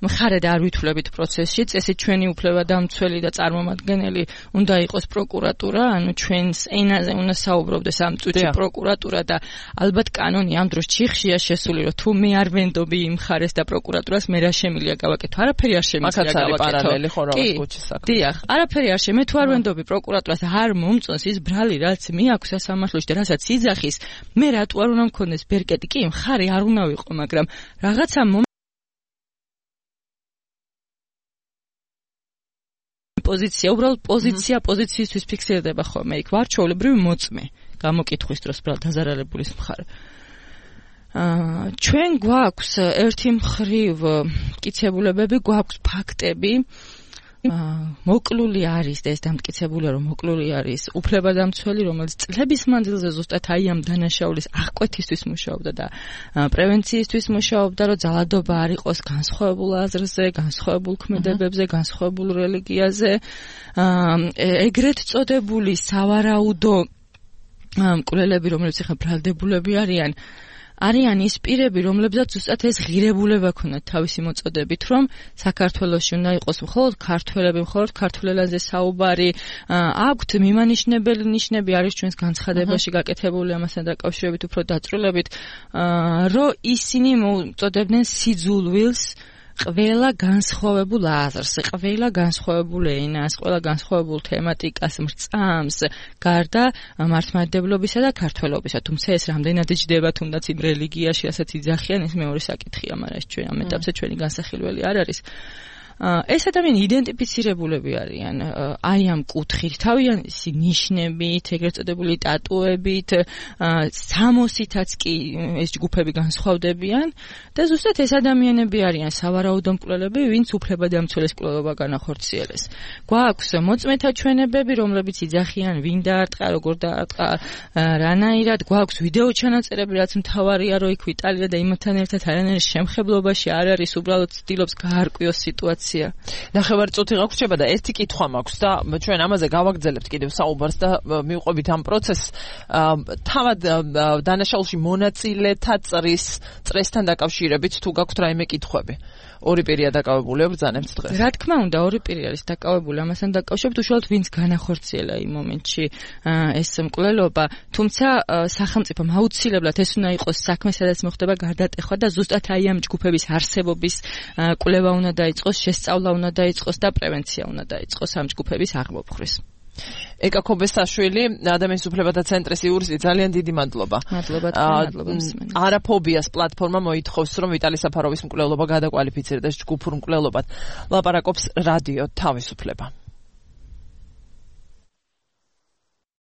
მხარე და არ ვითვლებით პროცესში, წესით ჩვენი უფლებადამცველი და წარმომადგენელი უნდა იყოს პროკურატურა, ანუ ჩვენს ენაზე უნდა საუბრობდეს ამ წუთში პროკურატურა და ალბათ კანონი ამ დროს ჩიხშია შესული, რომ თუ მე არ ვენდობი იმ მხარეს და პროკურატურას მე რა შემიძლია გავაკეთო, არაფერი არ შემიძლია პარალელი ხორავას ქუჩის საქმე. დიახ, არაფერი არ შემე თუ არ ვენდობი პროკურატურას არ მომწონს ის ბრალი, რაც მიაქვს სასამართლოში და რასაც იძახის, მე რატო არ უნდა მქონდეს ბერკეტი? კი, მხარი არ უნდა ვიყო, მაგრამ რაღაცა პოზიცია, უბრალოდ პოზიცია პოზიციისთვის ფიქსირდება ხოლმე იქ ვარჩეულებრივი მოწმე გამოკითხვის დროს ბრალ დაზარალებულის მხარე. ჩვენ გვაქვს ერთი მხრივ მტკიცებულებები, გვაქვს ფაქტები, მოკლული არის და ეს დამტკიცებულია, რომ მოკლული არის უფლებადამცველი, რომელიც წლების მანძილზე ზუსტად აი ამ დანაშაულის აღკვეთისთვის მუშაობდა და პრევენციისთვის მუშაობდა, რომ ძალადობა არ იყოს განსხვავებულ აზრზე, განსხვავებულ ქმედებებზე, განსხვავებულ რელიგიაზე, ეგრეთ წოდებული სავარაუდო მკვლელები, რომლებიც ახლა ბრალდებულები არიან, არიან ის პირები, რომლებსაც ზუსტად ეს ღირებულება ქონდათ თავისი მოწოდებით, რომ საქართველოში უნდა იყოს მხოლოდ ქართველები, მხოლოდ ქართულ ენაზე საუბარი, აქვთ მიმანიშნებელი ნიშნები არის ჩვენს განცხადებაში გაკეთებული ამასთან დაკავშირებით უფრო დაწვრილებით, რომ ისინი მოწოდებდნენ სიძულვილს ყველა განსხვავებულ აზრს, ყველა განსხვავებულ ენას, ყველა განსხვავებულ თემატიკას მრწამს, გარდა მართლმადიდებლობისა და ქართველობისა. თუმცა ეს რამდენად ჯდება თუნდაც იმ რელიგიაში, რასაც იძახიან, ეს მეორე საკითხია, მაგრამ ეს ჩვენ ამ ეტაპზე ჩვენი განსახილველი არ არის. ეს ადამიანი იდენტიფიცირებულები არიან აი ამ კუთხით, თავიანთი ნიშნებით, ეგრეთ წოდებული ტატუებით, სამოსითაც კი ეს ჯგუფები განსხვავდებიან და ზუსტად ეს ადამიანები არიან სავარაუდო მკვლელები, ვინც უფლებადამცველის მკვლელობა განახორციელეს. გვაქვს მოწმეთა ჩვენებები, რომლებიც იძახიან, ვინ დაარტყა, როგორ დაარტყა, რანაირად, გვაქვს ვიდეო ჩანაწერები, რაც მთავარია, რომ იქ ვიტალია და იმათთან ერთად არანაირ შემხებლობაში არ არის, უბრალოდ ცდილობს გაარკვიოს სიტუაცია. ნახევარწუთი გაგვრჩება და ერთი კითხვა მაქვს და ჩვენ ამაზე გავაგრძელებთ კიდევ საუბარს და მივყვებით ამ პროცესს. თავად დანაშაულში მონაწილეთა წრის წრესთან დაკავშირებით თუ გაქვთ რაიმე კითხვები? ორი პირია დაკავებული ბრძანებთ დღეს. რა თქმა უნდა, ორი პირი არის დაკავებული ამასთან დაკავშირებით, უშუალოდ ვინც განახორციელა იმ მომენტში ეს მკვლელობა, თუმცა სახელმწიფომ აუცილებლად ეს უნდა იყოს საქმე, სადაც მოხდება გარდატეხვა და ზუსტად აი ამ ჯგუფების არსებობის კვლევა უნდა დაიწყოს, შესწავლა უნდა დაიწყოს და პრევენცია უნდა დაიწყოს ამ ჯგუფების აღმოფხვრეს. ეკა ქობესაშვილი, ადამიანის უფლებათა ცენტრის იურისტი, ძალიან დიდი მადლობა. მადლობა, მადლობა. არაფობიას პლატფორმა მოითხოვს, რომ ვიტალი საფაროვის მკვლელობა გადაკვალიფიცირდეს ჯგუფურ მკვლელობად. ლაპარაკობს რადიო თავისუფლება.